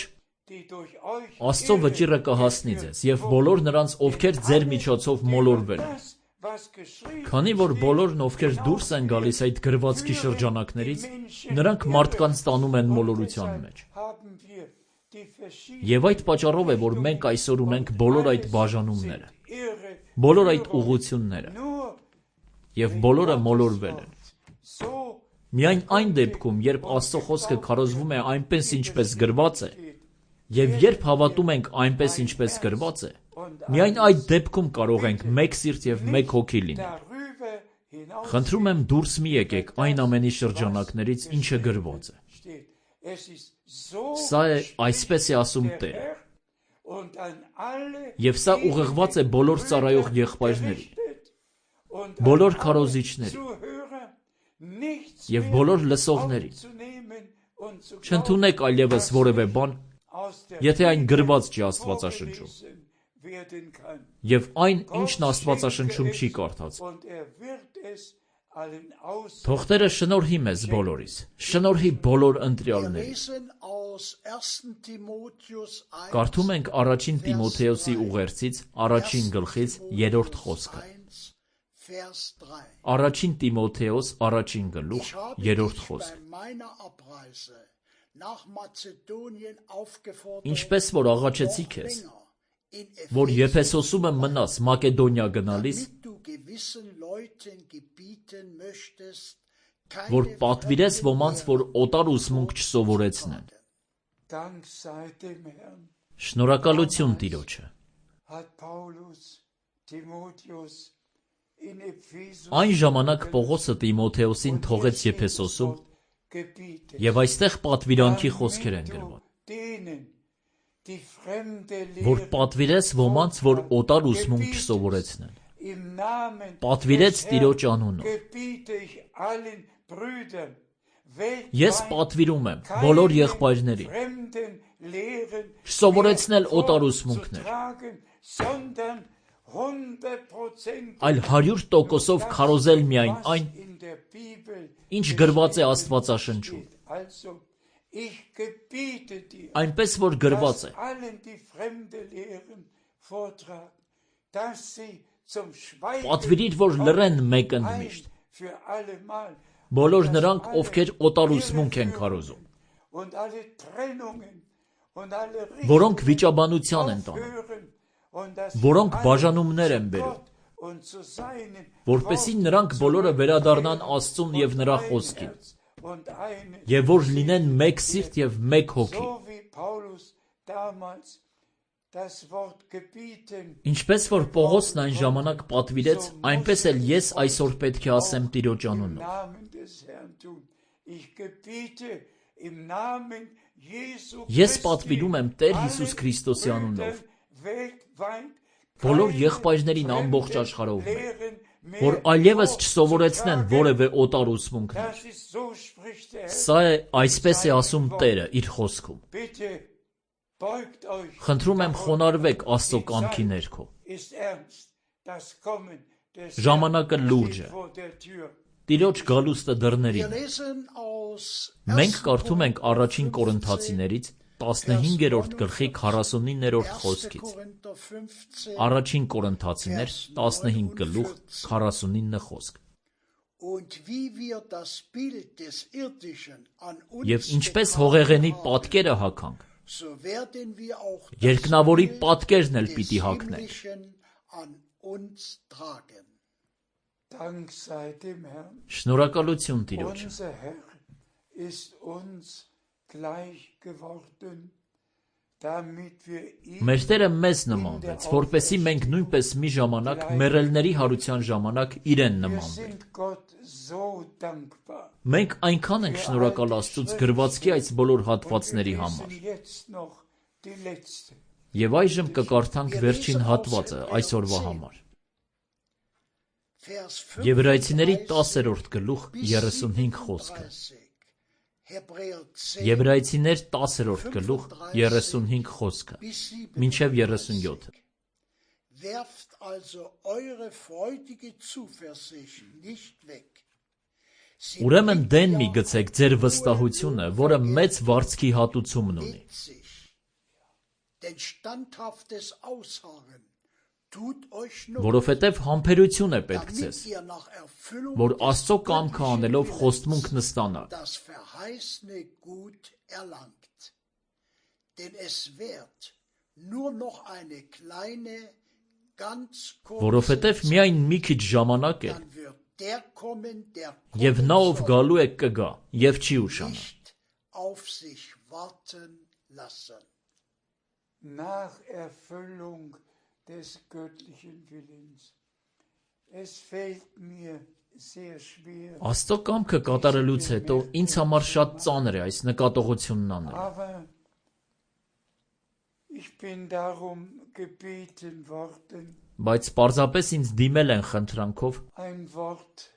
Աստծո վճիռը կհասնի ձեզ և բոլոր նրանց, ովքեր ձեր միջոցով մոլորվել են։ Քանի որ բոլորն, ովքեր դուրս են գալիս այդ գրվածքի շրջանակներից, նրանք մարդկանց տանում են մոլորության մեջ։ Եվ այդ պատճառով է, որ մենք այսօր ունենք բոլոր այդ բաժանումները, բոլոր այդ ուղղությունները, և բոլորը մոլորվել են։ Միայն այն դեպքում, երբ Աստծո խոսքը քարոզվում է այնպես, ինչպես գրված է, և երբ հավատում ենք այնպես, ինչպես գրված է, միայն այդ դեպքում կարող ենք մեկ սիրտ և մեկ հոգի լինել։ Խնդրում եմ դուրս մի եկեք այն ամենի շրջանակներից, ինչը գրված է։ Սա է այսպես է ասում Տերը։ Եվ սա ուղղված է բոլոր ծառայող եղբայրներին, բոլոր քարոզիչներին և բոլոր լսողներին, zu Չընդունեք այլևս որևէ բան, aus der եթե այն Bibel գրված չի Աստվածաշնչում, vorgelesen werden kann. եւ այն, Gott ինչն Աստվածաշնչում schenke չի es, կարդաց։ und er wird es allen aus. Թող Տերը շնորհի մեզ բոլորիս, շնորհի բոլոր Wir ընտրյալներին։ lesen aus ersten Timotheus eins, Կարդում ենք առաջին Տիմոթեոսի ուղերձից առաջին գլխից երրորդ խոսքը։ eins, Vers drei. Առաջին Տիմոթեոս առաջին գլուխ Ich habe երրորդ dich խոսք։ bei meiner Abreise nach Mazedonien aufgefordert, Ինչպես որ աղաչեցի noch քեզ, länger in որ Ephesus Եփեսոսում եմ մնաս Մակեդոնիա գնալիս, damit du gewissen Leuten gebieten möchtest, որ keine պատվիրես fremden ոմանց, որ Lehren օտար ուսմունք չսովորեցնեն։ Dank sei dem Herrn Շնորհակալություն Տիրոջը։ hat Paulus Timotheus in Ephesus Այն ժամանակ Պողոսը Տիմոթեոսին թողեց Եփեսոսում, gebietet. եւ այստեղ պատվիրանքի խոսքեր են գրված, Denen, die fremde որ Lehren պատվիրես ոմանց, որ օտար ուսմունք չսովորեցնեն։ im Namen Պատվիրեց des Տիրոջ Herrn անունով։ gebiete ich allen Brüdern Ես weltweit պատվիրում եմ բոլոր keine եղբայրներին fremden Lehren չսովորեցնել mehr օտար ուսմունքներ, vorzutragen, sondern hundert Prozent այլ հարյուր տոկոսով քարոզել միայն was այն, in der Bibel ինչ գրված է geschrieben Աստվածաշնչում, steht. Also, ich gebiete dir, այնպես որ գրված է, dass allen die fremde Lehren vortragen, dass sie zum Schweigen պատվիրիր, որ լռեն մեկ ein ընդմիշտ, für allemal բոլոր նրանք, ովքեր օտար ուսմունք են քարոզում, und alle Trennungen und alle որոնք Richtungen վիճաբանության են տանում, aufhören und dass որոնք alle բաժանումներ են zu բերում, Gott und zu seinen որպեսզի Worten նրանք բոլորը վերադառնան zurückkehren Աստծուն եւ und նրա ein խոսքին, Herz und eine եւ որ լինեն մեկ սիրտ եւ մեկ հոգի, so wie Paulus damals das Wort gebieten ինչպես որ Պողոսն այն ժամանակ պատվիրեց, այնպես էլ ես այսօր պետք է ասեմ Տիրոջ im անունով։ Namen des Herrn tun. Ich gebiete im Namen Jesu Ես Christi պատվիրում եմ Տեր allen Հիսուս Քրիստոսի անունով Brüdern weltweit բոլոր keine եղբայրներին ամբողջ fremden աշխարհով մեկ, Lehren mehr որ այլևս չսովորեցնեն vorzutragen. որևէ օտար ուսմունքներ։ Das ist so spricht der Herr. Սա է, այսպես է ասում Տերը իր խոսքում։ Bitte beugt euch. Խնդրում եմ խոնարհվեք Աստծո Die կամքի Zeit ներքո։ ist ernst. Das Kommen des Ժամանակը Herrn լուրջ steht է։ vor der Tür. Տիրոջ գալուստը Wir դռներին է։ lesen aus Մենք ersten կարդում ենք առաջին Korinther Կորինթացիներից տասնհինգերորդ գլխի քառասունիններորդ erster խոսքից։ Korinther fünfzehn, Առաջին Կորինթացիներ տասնհինգ գլուխ քառասունինը խոսք։ und wie wir das Bild des Irdischen an uns Եվ ինչպես getragen հողեղենի haben, պատկերը հագանք, so werden wir auch das երկնավորի Bild պատկերն էլ des պիտի հագնենք։ Himmlischen an uns tragen. Dank sei dem Herrn. Շնորհակալություն Տիրոջը։ Unser Herr ist uns gleich geworden, damit wir ihm Մեր Տերը մեզ նմանվեց, որպեսզի մենք նույնպես մի ժամանակ մեռելների հարության ժամանակ իրեն wir նմանվենք։ sind Gott so dankbar. Մենք այնքան ենք շնորհակալ Աստծուց գրվածքի այս բոլոր Und հատվածների wir համար։ lesen jetzt noch die letzte. Եվ այժմ կկարդանք վերջին հատվածը այսօրվա համար։ Vers Եբրայեցիների fünfunddreißig տասերորդ գլուխ bis երեսունհինգ խոսքը։ siebenunddreißig. Hebräer zehn Եբրայեցիներ տասերորդ գլուխ երեսունհինգ խոսքը, bis մինչև երեսունյոթը։ Werft also eure freudige Zuversicht nicht weg. Sie Ուրեմն bringt դեն մի ja գցեք ձեր վստահությունը, որը մեծ վարձքի հատուցումն ունի։ mit sich. Denn standhaftes Ausharren tut euch not, Որովհետև համբերություն է պետք ձեզ, damit ihr nach Erfüllung որ des Աստծո կամքը göttlichen անելով Willens խոստմունք նստանաք, das verheißene Gut erlangt. Denn es wird nur noch eine kleine, ganz kurze որովհետև միայն մի քիչ ժամանակ է, dann wird der kommen, der եւ kommen նա ով soll, գալու է կգա, եւ չի ուշանա։ nicht auf sich warten lassen. Nach Erfüllung des göttlichen Willens. Es fällt mir sehr schwer, Աստծո կամքը կատարելուց հետո ինձ համար շատ ծանր է այս նկատողությունն անել, aber ich bin darum gebeten worden, բայց պարզապես ինձ դիմել են խնդրանքով ein Wort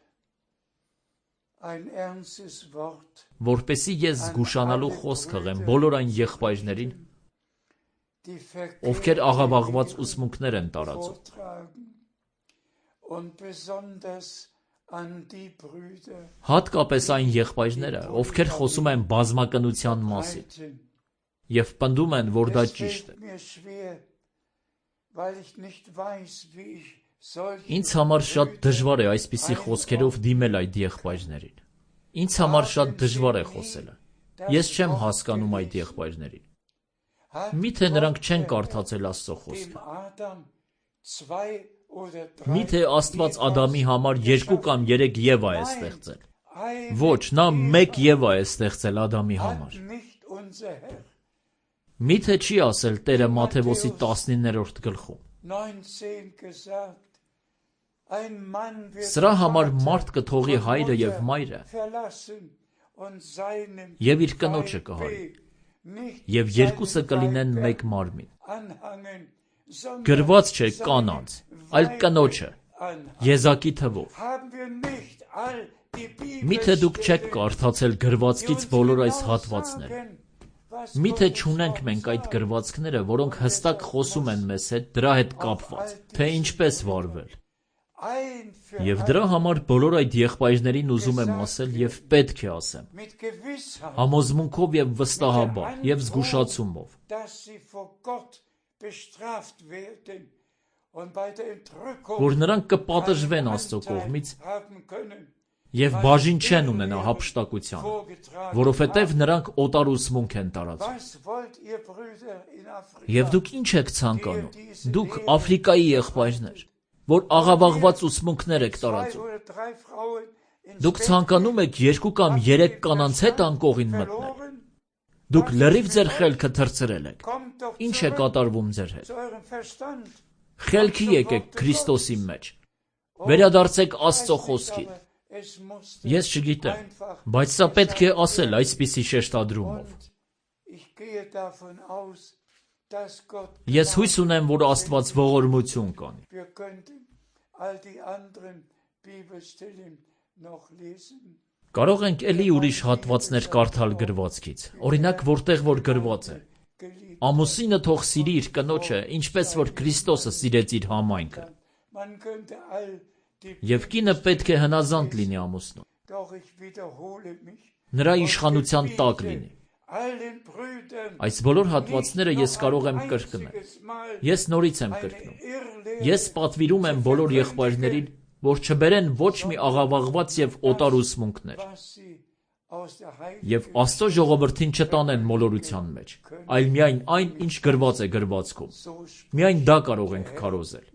ein ernstes Wort, որպեսզի ես զգուշանալու խոսք հղեմ բոլոր այն եղբայրներին, die ովքեր աղավաղված ուսմունքներ են տարածում, vortragen und besonders an die Brüder հատկապես այն եղբայրները, ովքեր խոսում են բազմակնության մասին breiten. եւ պնդում են, որ դա Es ճիշտ է։ fällt mir schwer, weil ich nicht weiß, wie ich solche Ինձ համար շատ Brüder դժվար է այսպիսի խոսքերով դիմել այդ եղբայրներին։ Ինձ համար շատ դժվար է խոսելը։ Ես չեմ հասկանում այդ եղբայրներին։ hat Միթե նրանք Gott չեն der կարդացել Աստծո Herr խոսքը։ dem Adam zwei oder drei Միթե Աստված Ադամի համար երկու կամ երեք Եվա է ստեղծել։ Eine Ոչ, նա մեկ Եվա է ստեղծել Ադամի համար։ hat nicht unser Herr Միթե չի ասել Տերը Մատթեոսի տասնիններորդ գլխում։ neunzehn gesagt, ein Mann wird Սրա համար Vater մարդ կթողի und հայրը եւ Mutter մայրը verlassen und seinem եւ իր կնոջը կհայի, Weib nicht եւ երկուսը seinem կլինեն Weib մեկ մարմին։ anhangen, sondern Գրված չէ seinem կանանց, այլ Weib կնոջը, anhangen. Եզակի թվով։ Haben wir nicht all die Միթե դուք չեք Bibelstellen, կարդացել die գրվածքից uns բոլոր այս genau հատվածները։ sagen, was Միթե Gottes չունենք Wort մենք այդ sagt. գրվածքները, որոնք հստակ խոսում են մեզ հետ դրա հետ կապված, թե ինչպես վարվել։ Ein für Եվ alle դրա համար բոլոր այդ եղբայրներին ուզում եմ ասել եւ պետք է ասեմ, mit Gewissheit, համոզմունքով եւ վստահաբար եւ զգուշացումով, dass sie vor Gott bestraft werden und bei der Entrückung որ նրանք կպատժվեն keinen Աստծո Anteil կողմից haben können, եւ բաժին չեն ունենա հափշտակությանը, vorgetragen որովհետեւ haben. նրանք օտար ուսմունք են տարածում։ Was wollt ihr, Brüder, in Afrika? Եվ դուք ինչ եք ցանկանում։ Դուք Աֆրիկայի եղբայրներ, որ աղավաղված ուսմունքներ եք Zwei տարածում։ oder drei Frauen ins Դուք Bett ցանկանում եք երկու կամ երեք կանանց հետ անկողին մտնել։ verloren? Դուք լրիվ ձեր խելքը թրծրել եք։ Kommt doch Ինչ է zurück կատարվում ձեր հետ։ zu eurem Verstand. Խելքի եկեք Քրիստոսի մեջ։ Վերադարձեք Աստծո խոսքին։ Es musste Ես չգիտեմ, einfach բայց սա պետք է ասել այսպիսի շեշտադրումով։ und ich gehe davon aus, dass Gott Ես հույս ունեմ, որ Աստված ողորմություն կանի։ wir könnten all die anderen Bibelstellen noch lesen. Կարող ենք ելի ուրիշ հատվածներ կարդալ գրվածքից։ Օրինակ, որտեղ որ գրված է. Geliebt. Ամուսինը թող սիրի իր կնոջը, ինչպես որ Քրիստոսը սիրեց իր համայնքը։ Man könnte all die Եվ կինը պետք է հնազանդ լինի ամուսնուն։ doch ich wiederhole mich. Նրա իշխանության տակ լինի։ Allen Brüdern Այս բոլոր հատվածները ես կարող եմ կրկնել։ Ես նորից եմ կրկնում։ Ես պատվիրում եմ բոլոր եղբայրներին, որ չբերեն ոչ մի աղավաղված եւ օտար ուսմունքներ, եւ Աստծո ժողովրդին չտանեն մոլորության մեջ, այլ միայն այն, ինչ գրված է գրվածքում։ Միայն դա կարող ենք քարոզել։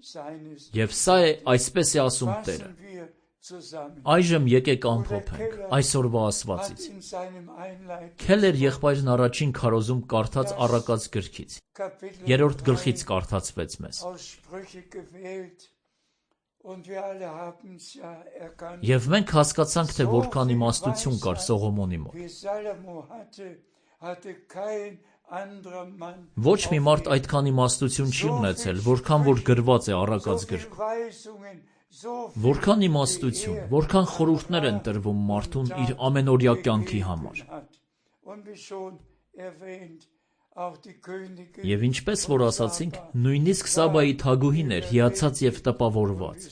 Եվ սա է, այսպես է ասում Տերը։ Այժմ եկեք ամփոփենք այսօրվա ասվածից։ Քելեր եղբայրն առաջին քարոզում կարդաց Առակաց գրքից, երրորդ գլխից կարդացվեց մեզ։ Եվ մենք հասկացանք, թե որքան իմաստություն կար Սողոմոնի մոտ։ Ոչ մի մարդ այդքան իմաստություն չի ունեցել, որքան որ գրված է Առակաց գրքում։ Որքան իմաստություն, որքան խորհուրդներ են տրվում մարդուն իր ամենօրյա կյանքի համար։ Եվ ինչպես որ ասացինք, նույնիսկ Սաբայի թագուհին էր հիացած եւ տպավորված։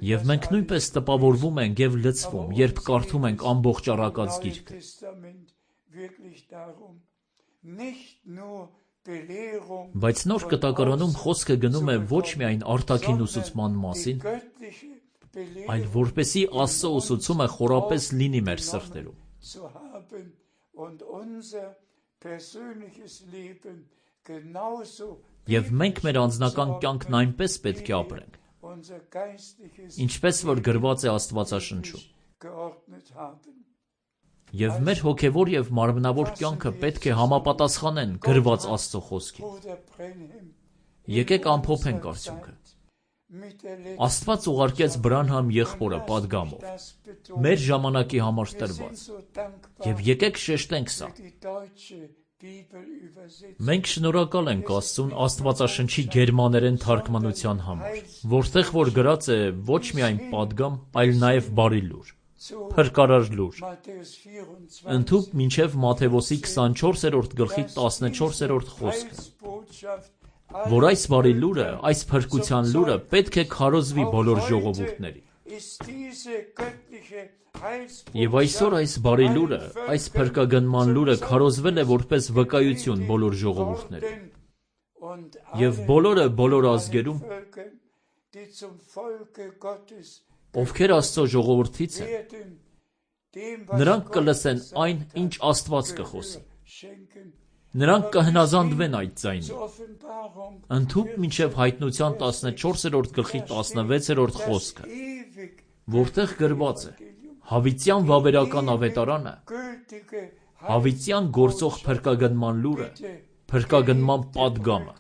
Եվ մենք նույնպես տպավորվում ենք եւ լցվում, երբ կարդում ենք ամբողջ Առակաց գիրքը։ Բայց նոր կտակարանում խոսքը գնում է ոչ միայն արտաքին ուսուցման մասին, այլ որպեսի Աստծո ուսուցումը խորապես լինի մեր սրտերում։ Եվ մենք մեր անձնական կյանքն այնպես պետք է ապրենք, ինչպես որ գրված է Աստվածաշնչում։ Եվ մեր հոգևոր եւ մարմնավոր կյանքը պետք է համապատասխանեն գրված Աստծո խոսքին։ Եկեք ամփոփենք արդյունքը։ Աստված ուղարկեց Բրանհամ եղբորը պատգամով, մեր ժամանակի համար տրված։ Եվ եկեք շեշտենք սա։ Մենք շնորհակալ ենք Աստծուն Աստվածաշնչի գերմաներեն թարգմանության համար, որտեղ որ գրած է ոչ միայն պատգամ, այլ նաև բարի լուր, փրկարար լուր։ Ընդհուպ մինչև Մատթեոսի քսանչորսերորդ գլխի տասնչորսերորդ խոսքը, որ այս բարի լուրը, այս փրկության լուրը պետք է քարոզվի բոլոր ժողովուրդների։ Եվ այսօր այս բարի լուրը, այս փրկագնման լուրը քարոզվել է որպես վկայություն բոլոր ժողովուրդներին։ Եվ բոլորը բոլոր ազգերում, ովքեր Աստծո ժողովրդից են, նրանք կլսեն այն, ինչ Աստված կխոսի։ Նրանք կհնազանդվեն այդ ձայնին։ Ընդհուպ մինչև Հայտնության տասնչորսերորդ գլխի տասնվեցերորդ խոսքը, որտեղ գրված է. Հավիտյան վավերական ավետարանը, հավիտյան գործող փրկագնման լուրը, փրկագնման պատգամը։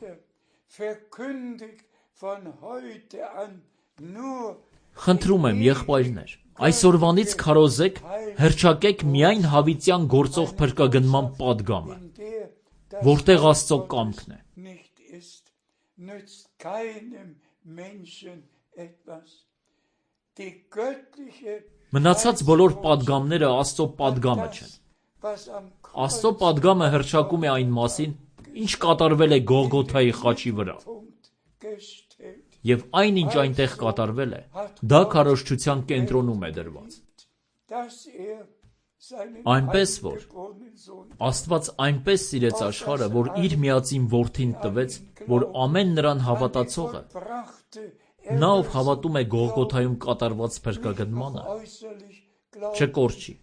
Խնդրում եմ, եղբայրներ, այսօրվանից քարոզեք, հռչակեք միայն հավիտյան գործող փրկագնման պատգամը, որտեղ Աստծո կամքն է։ Մնացած բոլոր պատգամները Աստծո պատգամը չեն։ Աստծո պատգամը հռչակում է այն մասին, ինչ կատարվել է Գողգոթայի խաչի վրա։ Եվ այն, ինչ այնտեղ կատարվել է, դա քարոզչության կենտրոնում է դրված։ Այնպես որ Աստված այնպես սիրեց աշխարհը, որ իր միածին որդին տվեց, որ ամեն նրան հավատացողը, նա ով հավատում է Գողգոթայում կատարված փրկագնմանը, չկորչի,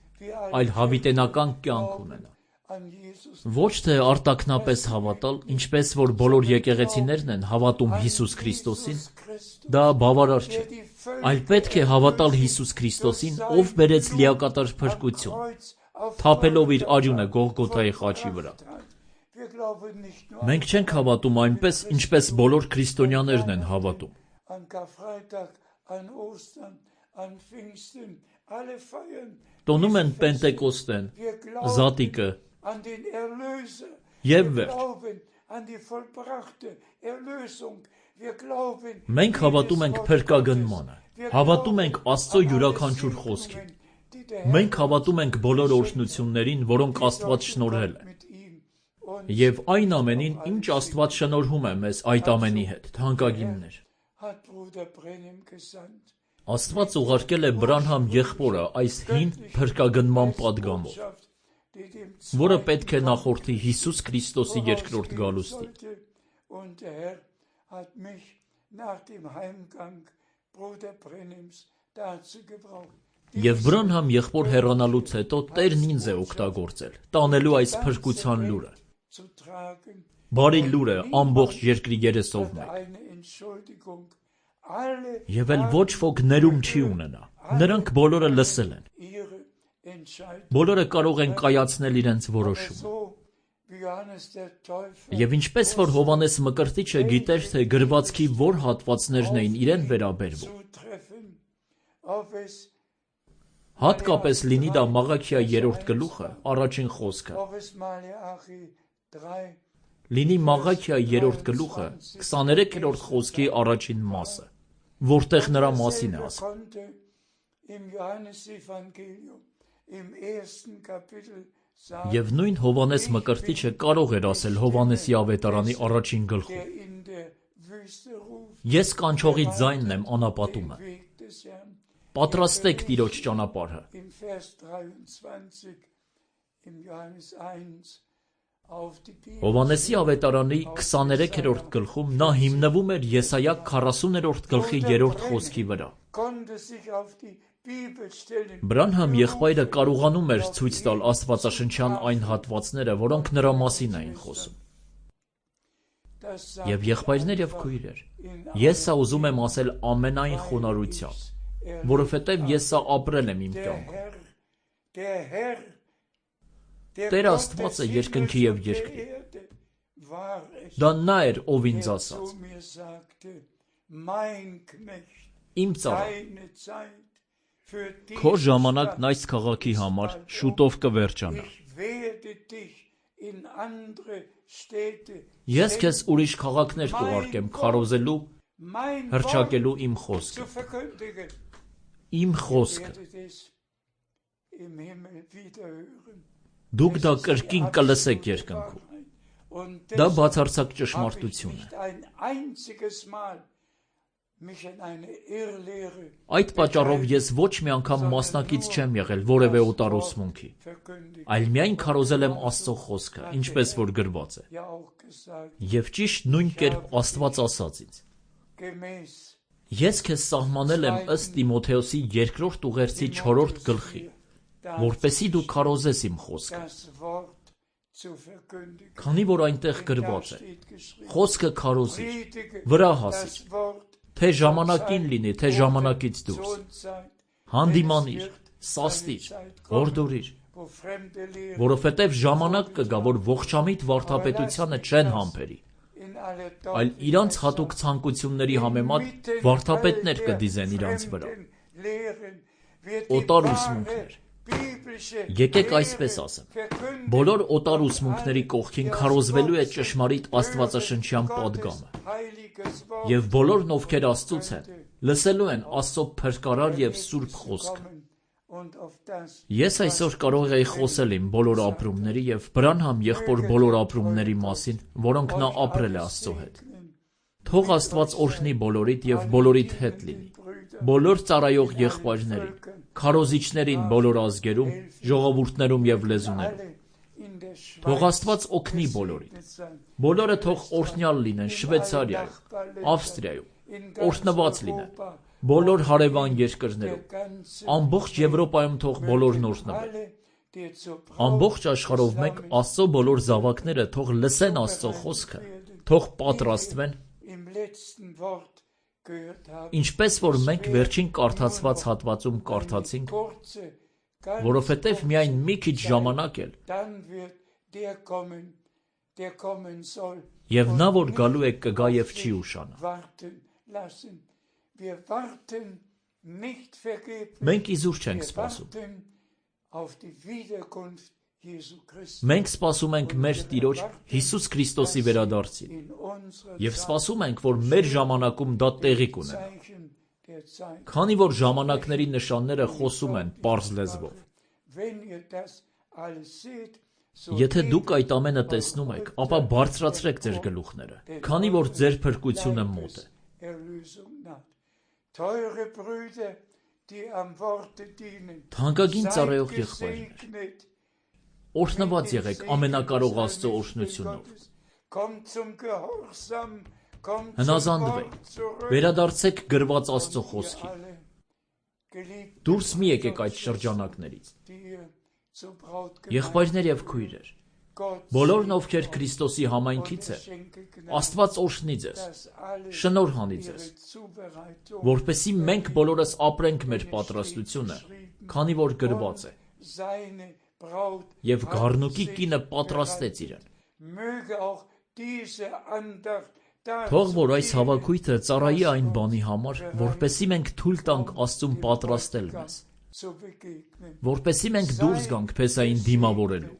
այլ հավիտենական կյանք ունենա։ Ոչ թե արտաքնապես հավատալ, ինչպես որ բոլոր եկեղեցիներն են հավատում Հիսուս Քրիստոսին, դա բավարար չէ, այլ պետք է հավատալ Հիսուս Քրիստոսին, ով բերեց լիակատար փրկություն, թափելով իր արյունը Գողգոթայի խաչի վրա։ Մենք չենք հավատում այնպես, ինչպես բոլոր քրիստոնյաներն են հավատում։ Տոնում են Պենտեկոստեն, Զատիկը և վերջ։ Մենք հավատում ենք փրկագնմանը, հավատում ենք Աստծո յուրաքանչյուր խոսքին։ Մենք հավատում ենք բոլոր օրհնություններին, որոնք Աստված շնորհել է։ Եվ այն ամենին, ինչ Աստված շնորհում է մեզ այդ ամենի հետ, թանկագիններ։ Աստված ուղարկել է Բրանհամ եղբորը այս հին փրկագնման պատգամով, որը պետք է նախորդի Հիսուս Քրիստոսի երկրորդ գալուստին։ Եվ Բրանհամ եղբոր հեռանալուց հետո Տերն ինձ է օգտագործել, տանելու այս փրկության լուրը։ Բարի լուրը ամբողջ երկրի երեսով մեկ։ Եվ էլ ոչ ոք ներում չի ունենա, նրանք բոլորը լսել են։ Բոլորը կարող են կայացնել իրենց որոշումը։ Եվ ինչպես որ Հովհաննես Մկրտիչը գիտեր, թե գրվածքի որ հատվածներն էին իրեն վերաբերվում, հատկապես լինի դա Մաղաքիա երրորդ գլուխը, առաջին խոսքը, լինի Մաղաքիա երրորդ գլուխը, քսաներեքերորդ խոսքի առաջին մասը, որտեղ նրա մասին է ասում։ Եվ նույն Հովհաննես Մկրտիչը կարող էր ասել Հովհաննեսի ավետարանի առաջին գլխում. Ես կանչողի ձայնն եմ անապատումը, պատրաստեք Տիրոջ ճանապարհը։ Հովհաննեսի ավետարանի քսաներեքերորդ գլխում նա հիմնվում էր Եսայա քառասուներորդ գլխի երրորդ խոսքի վրա։ Բրանհամ եղբայրը կարողանում էր ցույց տալ աստվածաշնչյան այն հատվածները, որոնք նրա մասին էին խոսում։ Եվ եղբայրներ եւ քույրեր, ես սա ուզում եմ ասել ամենայն խոնարհությամբ, որովհետև ես սա ապրել եմ իմ կյանքում։ Տեր Աստվածը երկնքի և երկրի։ Դա նա էր, ով ինձ ասաց. Իմ ծառա, քո ժամանակն այս քաղաքի համար շուտով կվերջանա։ in andere Städte Ես քեզ ուրիշ քաղաքներ կուղարկեմ քարոզելու, mein Wort հռչակելու իմ zu խոսքը, verkündigen. իմ խոսքը։ Werdet es im Himmel wieder hören. Դուք դա կրկին կլսեք երկնքում։ Und Դա deshalb բացարձակ habe ich ճշմարտություն է։ nicht ein einziges Mal mich in eine Irrlehre Այդ պատճառով ես ոչ մի անգամ մասնակից չեմ եղել որևէ օտարուսմունքի, verkündigt. այլ միայն քարոզել եմ Աստծո խոսքը, ինչպես որ գրված է։ Ja auch gesagt, Եվ ճիշտ նույն կերպ Աստված ասաց ինձ. gemäß Ես քեզ սահմանել եմ ըստ Տիմոթեոսի երկրորդ ուղերձի չորրորդ գլխի, որպեսզի դու քարոզես իմ խոսքը։ das Wort zu verkündigen. Քանի որ այնտեղ Da գրված է. steht geschrieben, Խոսքը քարոզիր, predige վրա das հասիր, Wort թե ժամանակին լինի, թե ժամանակից դուրս, zur Zeit, հանդիմանիր, սաստիր, հորդորիր, wo fremde Lehre որովհետև ժամանակ կգա, որ ողջամիտ վարդապետությանը չեն համբերի, in alle այլ իրանց հատուկ ցանկությունների համեմատ վարդապետներ կդիզեն իրանց վրա։ Օտար ուսմունքներ։ Եկեք այսպես ասեմ. Բոլոր օտար ուսմունքների կողքին քարոզվելու է ճշմարիտ աստվածաշնչյան պատգամը, եւ բոլորն ովքեր Աստծուց են, լսելու են Աստծո փրկարար եւ սուրբ խոսքը։ Ես այսօր կարող եի խոսել իմ բոլոր ապրումների եւ Բրանհամ եղբոր բոլոր ապրումների մասին, որոնք նա ապրել է Աստծո հետ։ Թող Աստված օրհնի բոլորիդ եւ բոլորիդ հետ լինի։ Բոլոր ծառայող եղբայրներին, քարոզիչներին բոլոր ազգերում, ժողովուրդներում եւ լեզուներում։ Թող Աստված օգնի բոլորին։ Բոլորը թող օրհնյալ լինեն Շվեյցարիայում, Ավստրիայում, օրհնված լինեն բոլոր հարևան երկրներում, ամբողջ Եվրոպայում թող բոլորն օրհնվեն։ Ամբողջ աշխարհով մեկ Աստծո բոլոր զավակները թող լսեն Աստծո խոսքը, թող պատրաստվեն, ինչպես որ մենք վերջին կարդացված հատվածում կարդացինք, որովհետև միայն մի քիչ ժամանակ էլ, եւ նա որ գալու է կգա եւ չի ուշանա։ Մենք իզուր չենք սպասում։ Մենք սպասում ենք մեր Տիրոջ Հիսուս Քրիստոսի վերադարձին եւ սպասում ենք, որ մեր ժամանակում դա տեղի կունենա։ Քանի որ ժամանակների նշանները խոսում են պարզ լեզվով։ Եթե դուք այդ ամենը տեսնում եք, ապա բարձրացրեք ձեր գլուխները, քանի որ ձեր փրկությունը մոտ է։ Թանկագին ծառայող եղբայրներ, օրհնված եղեք ամենակարող Աստծո օրհնությունով։ Հնազանդվեք, վերադարձեք գրված Աստծո խոսքին։ Դուրս մի եկեք այդ շրջանակներից։ Եղբայրներ եւ քույրեր, բոլորն ովքեր Քրիստոսի համայնքից են, Աստված օրհնի ձեզ, շնորհ հանի ձեզ, որպեսզի մենք բոլորս ապրենք մեր պատրաստությունը, քանի որ գրված է։ Եվ գառնուկի կինը պատրաստեց իրեն։ Թող որ այս հավաքույթը ծառայի այն բանի համար, որպեսզի մենք թույլ տանք Աստծուն պատրաստել մեզ, որպեսզի մենք դուրս գանք փեսային դիմավորելու։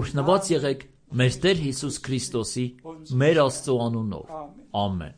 Օրհնված եղեք մեր Տեր Հիսուս Քրիստոսի, մեր Աստծո անունով։ Ամեն։